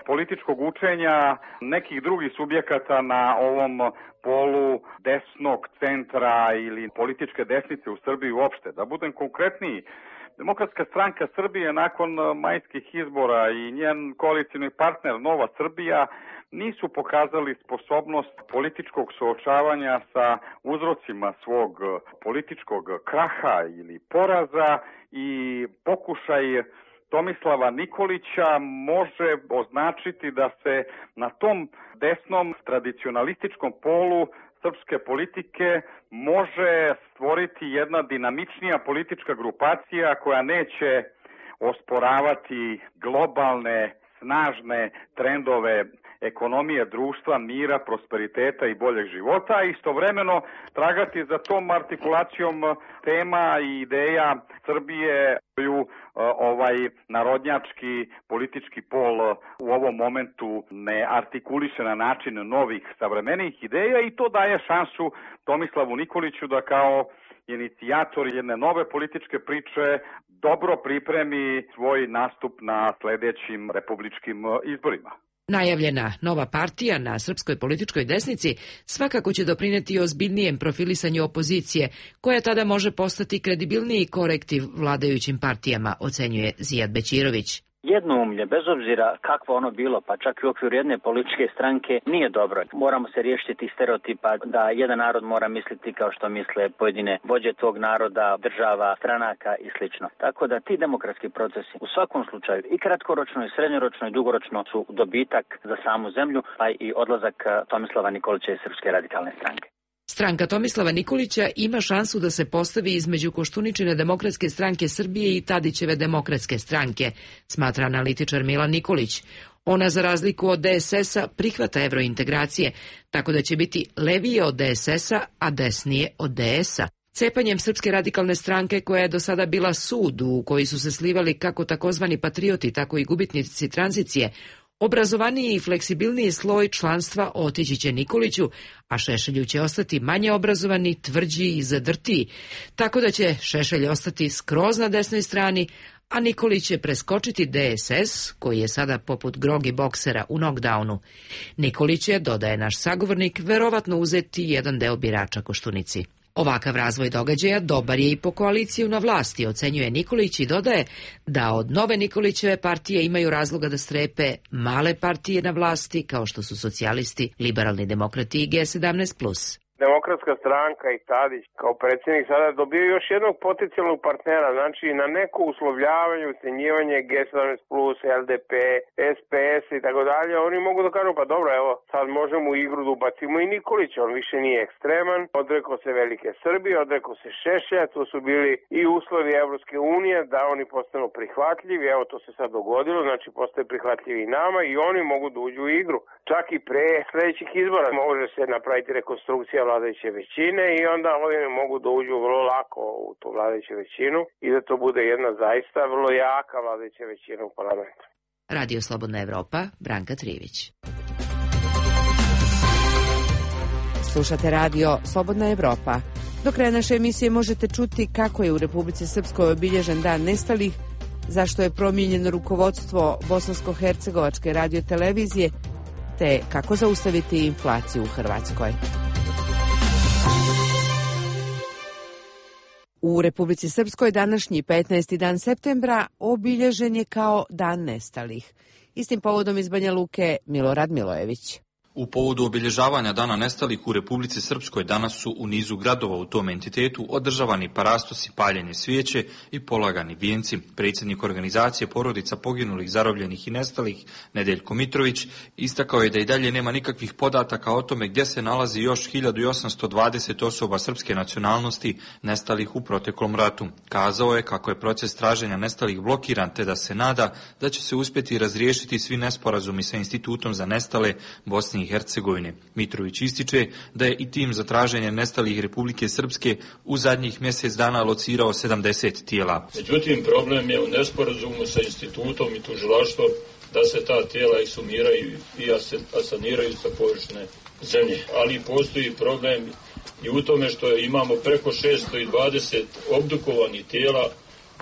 Speaker 20: političkog učenja nekih drugih subjekata na ovom polu desnog centra ili političke desnice u Srbiji uopšte. Da budem konkretniji, Demokratska stranka Srbije nakon majskih izbora i njen koalicioni partner Nova Srbija nisu pokazali sposobnost političkog suočavanja sa uzrocima svog političkog kraha ili poraza i pokušaj Tomislava Nikolića može označiti da se na tom desnom tradicionalističkom polu srpske politike može stvoriti jedna dinamičnija politička grupacija koja neće osporavati globalne, snažne trendove ekonomije društva, mira, prosperiteta i boljeg života, a istovremeno tragati za tom artikulacijom tema i ideja Srbije koju ovaj narodnjački politički pol u ovom momentu ne artikuliše na način novih savremenih ideja i to daje šansu Tomislavu Nikoliću da kao inicijator jedne nove političke priče dobro pripremi svoj nastup na sledećim republičkim izborima.
Speaker 18: Najavljena nova partija na srpskoj političkoj desnici svakako će doprineti ozbiljnijem profilisanju opozicije, koja tada može postati kredibilniji korektiv vladajućim partijama, ocenjuje Zijad Bećirović.
Speaker 12: Jednoumlje, bez obzira kakvo ono bilo, pa čak i u okviru jedne političke stranke, nije dobro. Moramo se riješiti tih stereotipa da jedan narod mora misliti kao što misle pojedine vođe tog naroda, država, stranaka i slično. Tako da ti demokratski procesi u svakom slučaju i kratkoročno, i srednjoročno, i dugoročno su dobitak za samu zemlju, pa i odlazak Tomislava Nikolića iz Srpske radikalne stranke.
Speaker 18: Stranka Tomislava Nikolića ima šansu da se postavi između Koštuničine Demokratske stranke Srbije i Tadićeve Demokratske stranke, smatra analitičar Milan Nikolić. Ona, za razliku od D S S-a, prihvata evrointegracije, tako da će biti levije od D S S-a, a desnije od D S-a. Cepanjem Srpske radikalne stranke, koja je do sada bila sud u koji su se slivali kako takozvani patrioti, tako i gubitnici tranzicije, obrazovaniji i fleksibilniji sloj članstva otići će Nikoliću, a Šešelju će ostati manje obrazovani, tvrđi i zadrtiji, tako da će Šešelj ostati skroz na desnoj strani, a Nikolić će preskočiti D S S, koji je sada poput grogi boksera u knockdownu. Nikolić će, dodaje naš sagovornik, verovatno uzeti jedan deo birača Koštunici. Ovakav razvoj događaja dobar je i po koaliciju na vlasti, ocenjuje Nikolić i dodaje da od nove Nikolićeve partije imaju razloga da strepe male partije na vlasti kao što su socijalisti, liberalni demokrati i G sedamnaest plus.
Speaker 19: Demokratska stranka i Tadić kao predsjednik sada dobio još jednog potencijalnog partnera, znači na neko uslovljavanje, ucenjivanje G sedamnaest plus, L D P, S P S i tako dalje, oni mogu da kažu pa dobro, evo sad možemo u igru da ubacimo i Nikolića, on više nije ekstreman, odrekao se Velike Srbije, odrekao se Šešelja, to su bili i uslovi Evropske unije da oni postanu prihvatljivi, evo to se sad dogodilo, znači postaju prihvatljivi i nama i oni mogu da uđu u igru. Čak i pre sledećih izbora može se napraviti rekonstrukcija vladajuće većine i onda oni mogu da uđu vrlo lako u tu vladajuću većinu i da to bude jedna zaista vrlo jaka vladajuća većina u parlamentu.
Speaker 18: Radio Slobodna Evropa, Branka Trivić.
Speaker 1: Slušate radio Slobodna Evropa. Do kraja naše emisije možete čuti kako je u Republici Srpskoj obilježen dan nestalih, zašto je promijenjeno rukovodstvo Bosansko-hercegovačke radiotelevizije, te kako zaustaviti inflaciju u Hrvatskoj. U Republici Srpskoj današnji petnaesti dan septembra obilježen je kao Dan nestalih. Istim povodom iz Banja Luke Milorad Milojević.
Speaker 21: U povodu obilježavanja Dana nestalih u Republici Srpskoj danas su u nizu gradova u tom entitetu održavani parastosi, paljenje svijeće i polagani vijenci. Predsjednik organizacije porodica poginulih, zarobljenih i nestalih, Nedeljko Mitrović, istakao je da i dalje nema nikakvih podataka o tome gdje se nalazi još hiljadu osamsto dvadeset osoba srpske nacionalnosti nestalih u proteklom ratu. Kazao je kako je proces traženja nestalih blokiran, te da se nada da će se uspjeti razriješiti svi nesporazumi sa Institutom za nestale Bosne i Hercegovine. Mitrović ističe da je i tim za traženje nestalih Republike Srpske u zadnjih mjesec dana locirao sedamdeset tijela.
Speaker 22: Međutim, problem je u nesporazumu sa institutom i tužilaštvom da se ta tijela eksumiraju i asaniraju sa površine zemlje. Ali postoji problem i u tome što imamo preko šesto dvadeset obdukovanih tijela.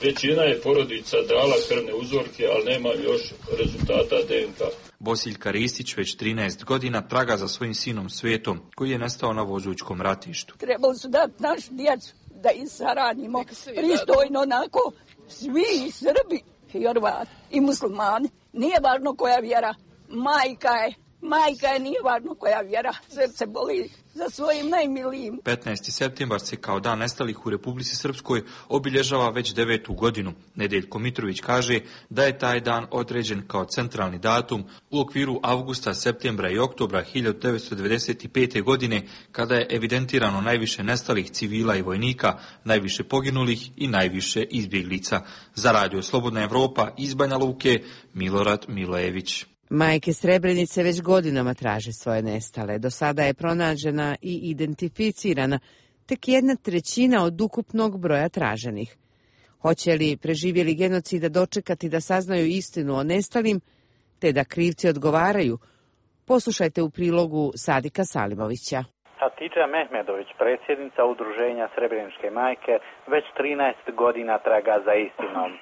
Speaker 22: Većina je porodica dala krvne uzorke, ali nema još rezultata D N K.
Speaker 21: Bosiljka Ristić već trinaest godina traga za svojim sinom Svetom, koji je nestao na Vozućkom ratištu.
Speaker 23: Trebali su dati našu djecu
Speaker 2: da ih saranimo pristojno onako, svi i Srbi, i Hrvati, i muslimani. Nije važno koja vjera, majka je, majka je, nije važno koja vjera, srce boli za svojim najmilijim.
Speaker 21: petnaesti septembar se kao dan nestalih u Republici Srpskoj obilježava već devetu godinu. Nedeljko Mitrović kaže da je taj dan određen kao centralni datum u okviru avgusta, septembra i oktobra hiljadu devetsto devedeset pete. godine, kada je evidentirano najviše nestalih civila i vojnika, najviše poginulih i najviše izbjeglica. Za Radio Slobodna Evropa iz Banja Luke, Milorad Milojević.
Speaker 1: Majke Srebrenice već godinama traže svoje nestale. Do sada je pronađena i identificirana tek jedna trećina od ukupnog broja traženih. Hoće li preživjeli genocida dočekati da saznaju istinu o nestalim, te da krivci odgovaraju? Poslušajte u prilogu Sadika Salimovića.
Speaker 14: Hatidža Mehmedović, predsjednica Udruženja Srebreničke majke, već trinaest godina traga za istinom.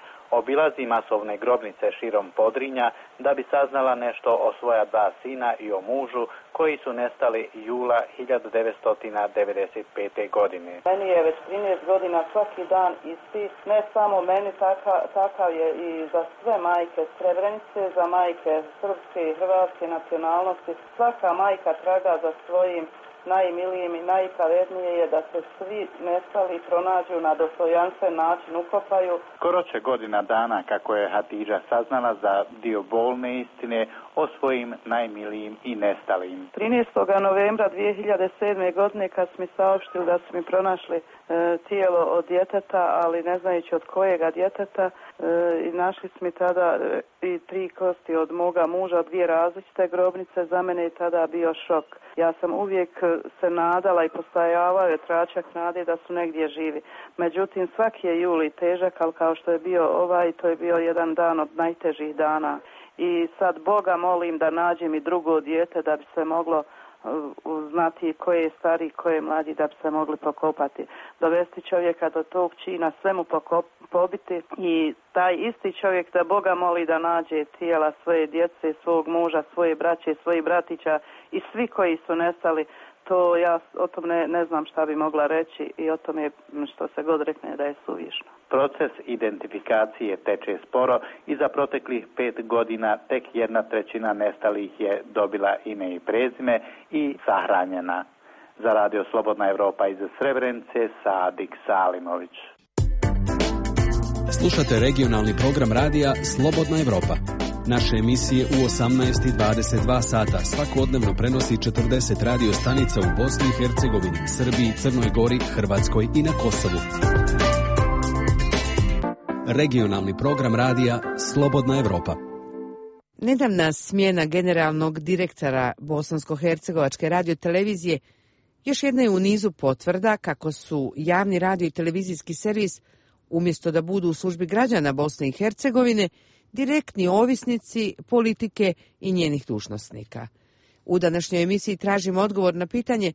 Speaker 14: Obilazi masovne grobnice širom Podrinja da bi saznala nešto o svoja dva sina i o mužu koji su nestali jula hiljadu devetsto devedeset pete. godine.
Speaker 4: Meni je već trinaest godina svaki dan isti, ne samo meni, takav, takav je i za sve majke Srebrenice, za majke srpske i hrvatske nacionalnosti. Svaka majka traga za svojim najmilijim i najpravednije je da se svi nestali pronađu na dostojanstven način, ukopaju.
Speaker 14: Skoro će godina dana kako je Hatidža saznala za dio bolne istine o svojim najmilijim i nestalim.
Speaker 4: trinaestog novembra dvije hiljade sedme. godine kad su mi saopštili da su mi pronašli e, tijelo od djeteta, ali ne znajući od kojega djeteta, e, i našli su mi tada e, i tri kosti od moga muža, dvije različite grobnice. Za mene je tada bio šok. Ja sam uvijek se nadala i postajavao je tračak nade da su negdje živi. Međutim, svaki je juli težak, ali kao što je bio ovaj, to je bio jedan dan od najtežih dana. I sad Boga molim da nađem i drugo dijete da bi se moglo znati ko je stari, ko je mlađi, da bi se mogli pokopati. Dovesti čovjeka do tog čina, sve mu pokop, pobiti i taj isti čovjek da Boga moli da nađe tijela svoje djece, svog muža, svoje braće, svojih bratića i svi koji su nestali. To ja o tom ne, ne znam šta bi mogla reći i o tome što se god rekne da je suvišno.
Speaker 14: Proces identifikacije teče sporo i za proteklih pet godina tek jedna trećina nestalih je dobila ime i prezime i sahranjena. Za Radio Slobodna Evropa iz Srebrenice, Sadik Salimović.
Speaker 6: Slušate regionalni program radija Slobodna Evropa. Naše emisije u osamnaest i dvadeset dva sata svakodnevno prenosi četrdeset radio stanica u Bosni i Hercegovini, Srbiji, Crnoj Gori, Hrvatskoj i na Kosovu. Regionalni program radija Slobodna Evropa.
Speaker 1: Nedavna smjena generalnog direktora Bosansko-hercegovačke radiotelevizije još jedna je u nizu potvrda kako su javni radio i televizijski servis, umjesto da budu u službi građana Bosne i Hercegovine, direktni ovisnici politike i njenih dužnosnika. U današnjoj emisiji tražimo odgovor na pitanje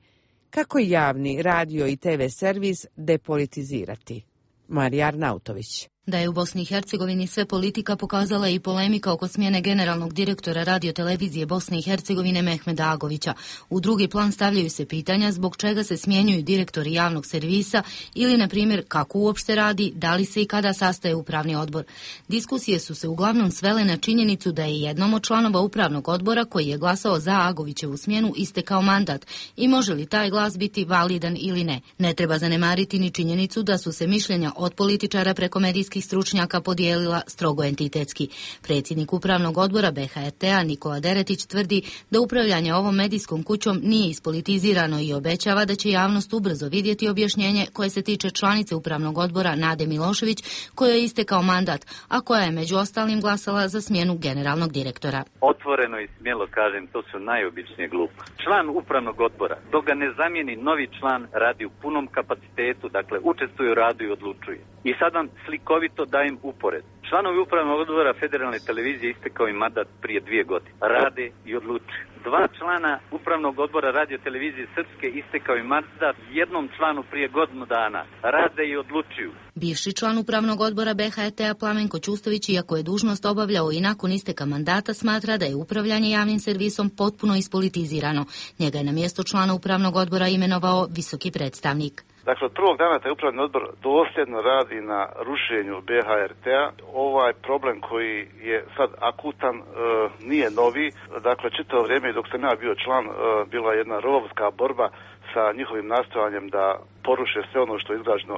Speaker 1: kako javni radio i te ve servis depolitizirati. Marija Arnautović.
Speaker 5: Da je u Bosni i Hercegovini sve politika pokazala i polemika oko smjene generalnog direktora radiotelevizije Bosne i Hercegovine Mehmeda Agovića. U drugi plan stavljaju se pitanja zbog čega se smjenjuju direktori javnog servisa ili, na primjer, kako uopšte radi, da li se i kada sastaje upravni odbor. Diskusije su se uglavnom svele na činjenicu da je jednom od članova upravnog odbora koji je glasao za Agovićevu smjenu istekao mandat i može li taj glas biti validan ili ne. Ne treba zanemariti ni činjenicu da su se mišljenja od političara preko medijskih stručnjaka podijelila strogo entitetski. Predsjednik upravnog odbora be ha er te-a Nikola Deretić tvrdi da upravljanje ovom medijskom kućom nije ispolitizirano i obećava da će javnost ubrzo vidjeti objašnjenje koje se tiče članice upravnog odbora Nade Milošević, kojoj je istekao mandat, a koja je među ostalim glasala za smjenu generalnog direktora.
Speaker 23: Otvoreno i smjelo kažem, to su najobičnije gluposti. Član upravnog odbora, dok ga ne zamijeni novi član, radi u punom kapacitetu, dakle učestvuje u radu i odlučuje. I sad vam slikovito dajem upored. Članovi upravnog odbora Federalne televizije istekao im mandat prije dvije godine. Rade i odlučuju. Dva člana upravnog odbora radio televizije Srpske istekao im mandat jednom članu prije godinu dana. Rade i odlučuju.
Speaker 5: Bivši član upravnog odbora be ha er te-a Plamenko Ćustović, iako je dužnost obavljao i nakon isteka mandata, smatra da je upravljanje javnim servisom potpuno ispolitizirano. Njega je na mjesto člana upravnog odbora imenovao visoki predstavnik.
Speaker 3: Dakle, od prvog dana taj upravni odbor dosljedno radi na rušenju B H R T-a. Ovaj problem koji je sad akutan e, nije novi. Dakle, čitavo vrijeme dok sam ja bio član, e, bila je jedna rovovska borba sa njihovim nastojanjem da poruše sve ono što je izgrađeno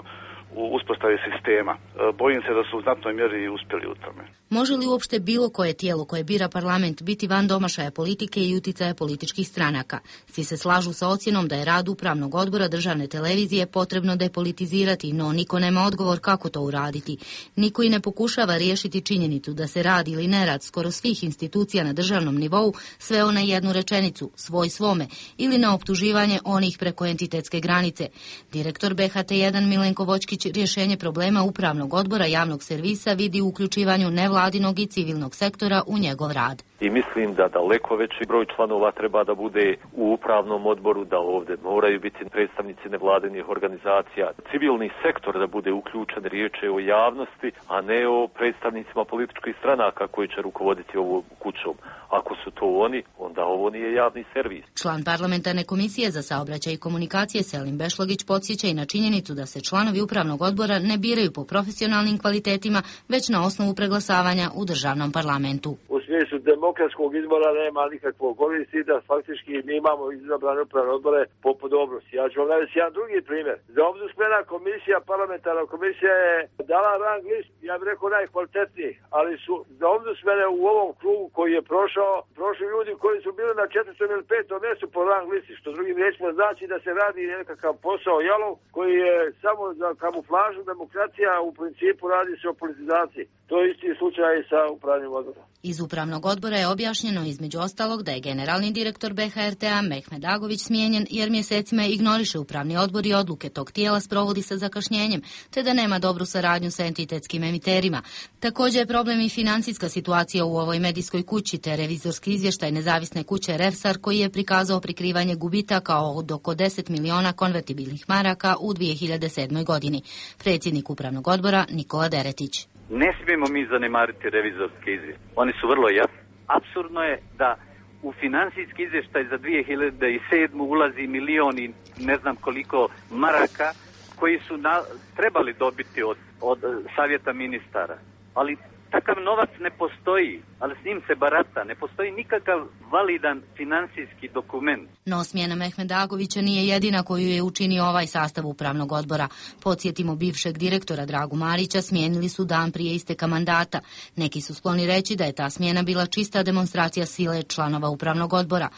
Speaker 3: u uspostavi sistema. Bojim se da su u znatnoj mjeri i uspjeli u tome.
Speaker 5: Može li uopšte bilo koje tijelo koje bira parlament biti van domašaja politike i uticaja političkih stranaka? Svi se slažu sa ocjenom da je rad upravnog odbora državne televizije potrebno depolitizirati, no niko nema odgovor kako to uraditi. Niko i ne pokušava riješiti činjenicu da se rad ili nerad skoro svih institucija na državnom nivou sveo na jednu rečenicu, svoj svome, ili na optuživanje onih preko entitetske granice. Direktor B H T jedan Milenko Voćkić rješenje problema upravnog odbora javnog servisa vidi u uključivanju nevladinog i civilnog sektora u njegov rad.
Speaker 15: I mislim da daleko veći broj članova treba da bude u upravnom odboru, da ovdje moraju biti predstavnici nevladinih organizacija, civilni sektor da bude uključen, riječ je o javnosti, a ne o predstavnicima političkih stranaka koji će rukovoditi ovom kućom. Ako su to oni, onda ovo nije javni servis.
Speaker 5: Član parlamentarne komisije za saobraćaj i komunikacije Selim Bešlogić podsjeća i na činjenicu da se članovi upravnog odbora ne biraju po profesionalnim kvalitetima, već na osnovu preglasavanja u državnom parlamentu.
Speaker 7: U smislu demokratskog izbora nema nikakvog koristi da faktički mi imamo izabrane upravne odbore po podobnosti. Ja ću vam navesti jedan drugi primjer. Za ombudsmena komisija, parlamentarna komisija je dala rang list, ja bih rekao najkvalitetniji, ali su za ombudsmene u ovom krugu koji je prošao, prošli ljudi koji su bili na četvrtom ili petom mjestu po rang listi, što drugim riječima znači da se radi nekakav posao jalov koji je samo za kamuflažu demokracija, u principu radi se o politizaciji. To je isti slučaj i sa upravnim odborom.
Speaker 5: Iz upravnog odbora je objašnjeno između ostalog da je generalni direktor B H R T-a Mehmed Agović smijenjen jer mjesecima ignoriše upravni odbor i odluke tog tijela sprovodi sa zakašnjenjem, te da nema dobru saradnju sa entitetskim emiterima. Također je problem i financijska situacija u ovoj medijskoj kući, te revizorski izvještaj nezavisne kuće Revsar koji je prikazao prikrivanje gubitaka od oko deset miliona konvertibilnih maraka u dvije hiljade sedmoj godini. Predsjednik upravnog odbora Nikola Deretić.
Speaker 23: Ne smijemo mi zanemariti revizorske izvještaje. Oni su vrlo jasni. Apsurdno je da u financijski izvještaj za dvije hiljade sedmu ulazi milion i ne znam koliko maraka koji su na, trebali dobiti od, od savjeta ministara. Ali takav novac ne postoji, ali s njim se barata. Ne postoji nikakav validan financijski dokument.
Speaker 5: No smjena Mehmeda Agovića nije jedina koju je učinio ovaj sastav upravnog odbora. Podsjetimo, bivšeg direktora Dragu Marića smijenili su dan prije isteka mandata. Neki su skloni reći da je ta smjena bila čista demonstracija sile članova upravnog odbora.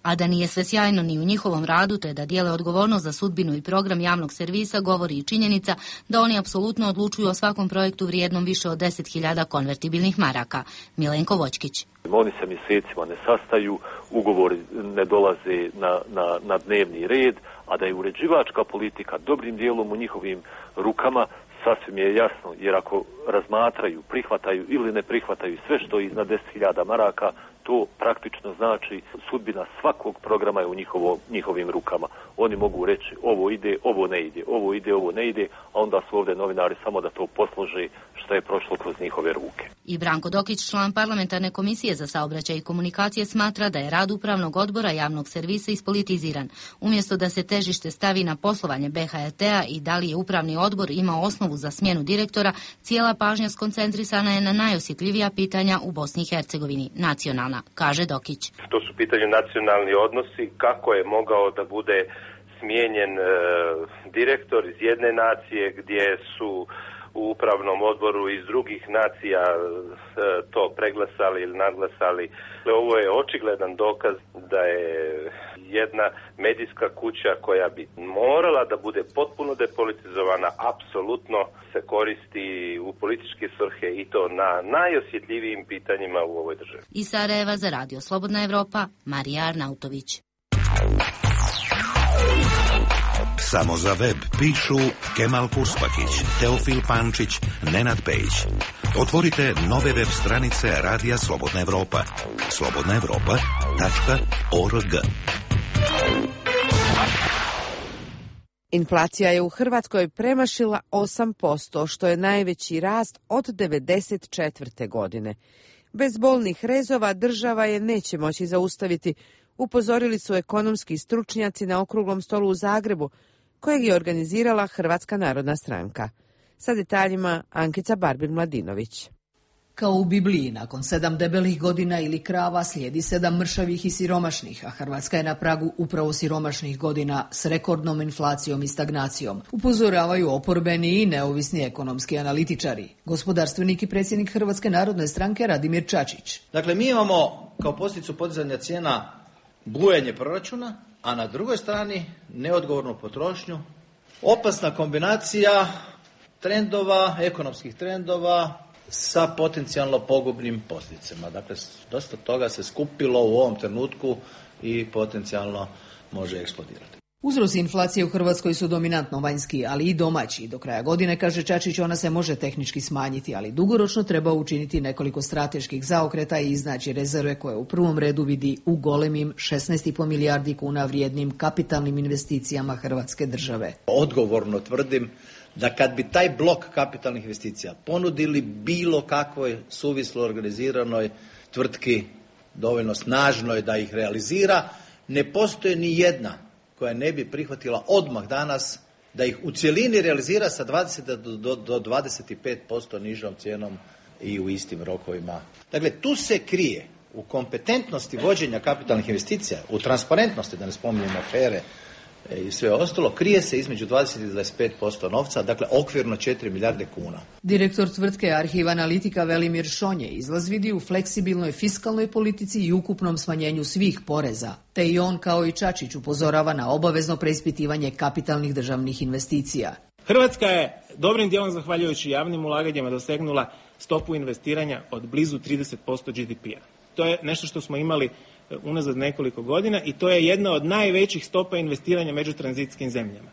Speaker 5: A da nije sve sjajno ni u njihovom radu, te da dijele odgovornost za sudbinu i program javnog servisa, govori i činjenica da oni apsolutno odlučuju o svakom projektu vrijednom više od deset hiljada konvertibilnih maraka. Milenko Voćkić.
Speaker 15: Oni se mjesecima ne sastaju, ugovori ne dolaze na, na, na dnevni red, a da je uređivačka politika dobrim dijelom u njihovim rukama, sasvim je jasno, jer ako razmatraju, prihvataju ili ne prihvataju sve što je iznad deset hiljada maraka, to praktično znači sudbina svakog programa je u njihovo, njihovim rukama. Oni mogu reći ovo ide, ovo ne ide, ovo ide, ovo ne ide, a onda su ovdje novinari samo da to poslože što je prošlo kroz njihove ruke.
Speaker 5: I Branko Dokić, član parlamentarne komisije za saobraćaj i komunikacije, smatra da je rad upravnog odbora javnog servisa ispolitiziran. Umjesto da se težište stavi na poslovanje B H R T-a i da li je upravni odbor imao osnovu za smjenu direktora, cijela pažnja skoncentrisana je na najosjetljivija pitanja u Bosni i Hercegovini, nacionalna, kaže Dokić.
Speaker 8: To su pitanje nacionalni odnosi, kako je mogao da bude smijenjen e, direktor iz jedne nacije gdje su u upravnom odboru iz drugih nacija e, to preglasali ili nadglasali. Ovo je očigledan dokaz da je jedna medijska kuća koja bi morala da bude potpuno depolitizovana, apsolutno se koristi u političke svrhe i to na najosjetljivijim pitanjima u ovoj državi.
Speaker 5: Iz Sarajeva za Radio Slobodna Evropa, Marija Arnautović.
Speaker 9: Samo za web pišu Kemal Purspakić, Teofil Pančić, Nenad Pejić. Otvorite nove web stranice Radija Slobodna Evropa. slobodna evropa tačka org.
Speaker 1: Inflacija je u Hrvatskoj premašila osam posto, što je najveći rast od devedeset četvrte. godine. Bez bolnih rezova država je neće moći zaustaviti, upozorili su ekonomski stručnjaci na okruglom stolu u Zagrebu, kojeg je organizirala Hrvatska narodna stranka. Sa detaljima Ankica Barbir-Mladinović.
Speaker 10: Kao u Bibliji, nakon sedam debelih godina ili krava slijedi sedam mršavih i siromašnih, a Hrvatska je na pragu upravo siromašnih godina s rekordnom inflacijom i stagnacijom. Upozoravaju oporbeni i neovisni ekonomski analitičari. Gospodarstvenik i predsjednik Hrvatske narodne stranke Radimir Čačić.
Speaker 11: Dakle, mi imamo kao posljedicu podizanja cijena bujanje proračuna, a na drugoj strani neodgovornu potrošnju. Opasna kombinacija trendova, ekonomskih trendova, sa potencijalno pogubnim posljedicama. Dakle, dosta toga se skupilo u ovom trenutku i potencijalno može eksplodirati.
Speaker 10: Uzroci inflacije u Hrvatskoj su dominantno vanjski, ali i domaći. Do kraja godine, kaže Čačić, ona se može tehnički smanjiti, ali dugoročno treba učiniti nekoliko strateških zaokreta i iznaći rezerve koje u prvom redu vidi u golemim šesnaest i po milijardi kuna vrijednim kapitalnim investicijama Hrvatske države.
Speaker 11: Odgovorno tvrdim da kad bi taj blok kapitalnih investicija ponudili bilo kakvoj suvislo organiziranoj tvrtki dovoljno snažnoj da ih realizira, ne postoji ni jedna koja ne bi prihvatila odmah danas da ih u cjelini realizira sa dvadeset do dvadeset pet posto nižom cijenom i u istim rokovima. Dakle, tu se krije u kompetentnosti vođenja kapitalnih investicija, u transparentnosti, da ne spominjemo afere i sve ostalo, krije se između dvadeset i dvadeset pet posto novca, dakle okvirno četiri milijarde kuna.
Speaker 10: Direktor tvrtke Arhiv Analitika Velimir Šonje izlaz vidi u fleksibilnoj fiskalnoj politici i ukupnom smanjenju svih poreza, te i on kao i Čačić upozorava na obavezno preispitivanje kapitalnih državnih investicija.
Speaker 13: Hrvatska je dobrim dijelom zahvaljujući javnim ulaganjima dosegnula stopu investiranja od blizu trideset posto G D P-a. To je nešto što smo imali unazad nekoliko godina i to je jedna od najvećih stopa investiranja među tranzitskim zemljama.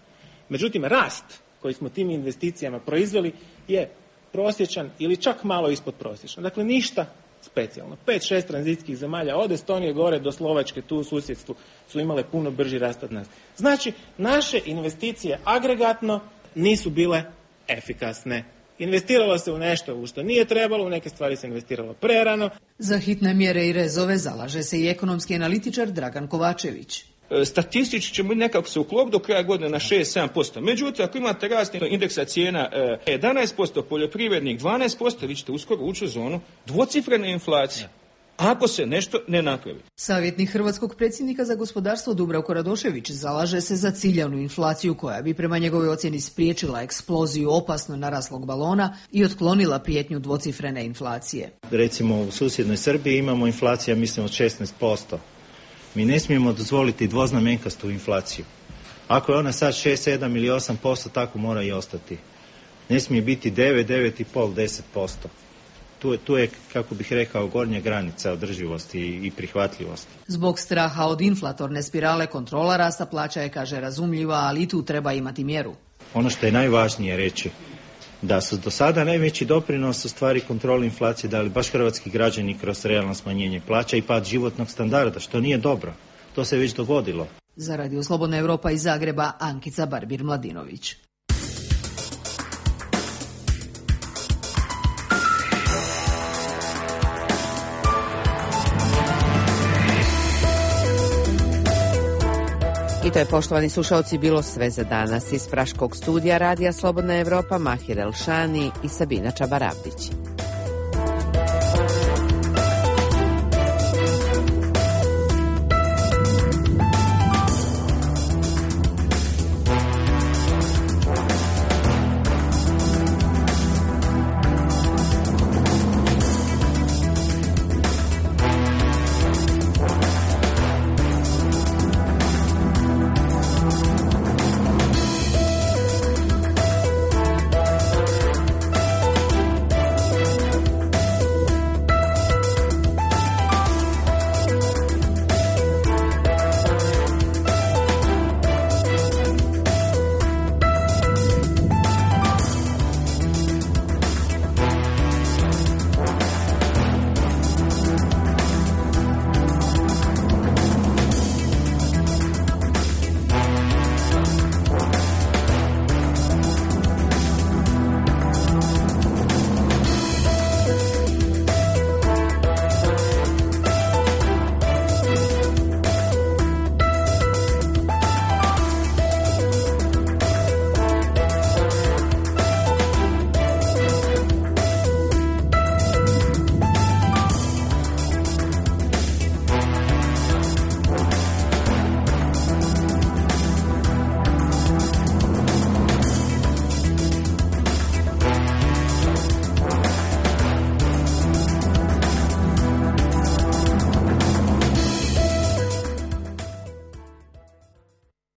Speaker 13: Međutim, rast koji smo tim investicijama proizveli je prosječan ili čak malo ispod prosječan. Dakle, ništa specijalno. Pet, šest tranzitskih zemalja od Estonije gore do Slovačke tu u susjedstvu su imale puno brži rast od nas. Znači, naše investicije agregatno nisu bile efikasne. Investiralo se u nešto u što nije trebalo, u neke stvari se investiralo prerano.
Speaker 10: Za hitne mjere i rezove zalaže se i ekonomski analitičar Dragan Kovačević.
Speaker 17: Statistički ćemo nekako se uklopiti do kraja godine na šest do sedam posto. Međutim, ako imate rast indeksa cijena jedanaest posto, poljoprivrednik dvanaest posto, vi ćete uskoro ući u zonu dvocifrene inflacije. Ako se nešto ne napravi.
Speaker 10: Savjetnik hrvatskog predsjednika za gospodarstvo Dubravko Radošević zalaže se za ciljanu inflaciju koja bi prema njegovoj ocjeni spriječila eksploziju opasno naraslog balona i otklonila prijetnju dvocifrene inflacije.
Speaker 25: Recimo u susjednoj Srbiji imamo inflacija mislim od šesnaest posto. Mi ne smijemo dozvoliti dvoznamenkastu inflaciju. Ako je ona sad šest, sedam ili osam posto, tako mora i ostati. Ne smije biti devet, devet i pol, deset posto. Tu je, tu je, kako bih rekao, gornja granica održivosti i prihvatljivosti.
Speaker 10: Zbog straha od inflatorne spirale kontrola rasta plaća je, kaže, razumljiva, ali i tu treba imati mjeru.
Speaker 25: Ono što je najvažnije reći, da su do sada najveći doprinos u stvari kontroli inflacije dali baš hrvatski građani kroz realno smanjenje plaća i pad životnog standarda, što nije dobro. To se već dogodilo.
Speaker 10: Za Radio Slobodna Evropa iz Zagreba, Ankica Barbir-Mladinović.
Speaker 1: I to je, poštovani slušalci, bilo sve za danas. Iz Praškog studija Radija Slobodna Evropa, Mahir Elšani i Sabina Čabaravdić.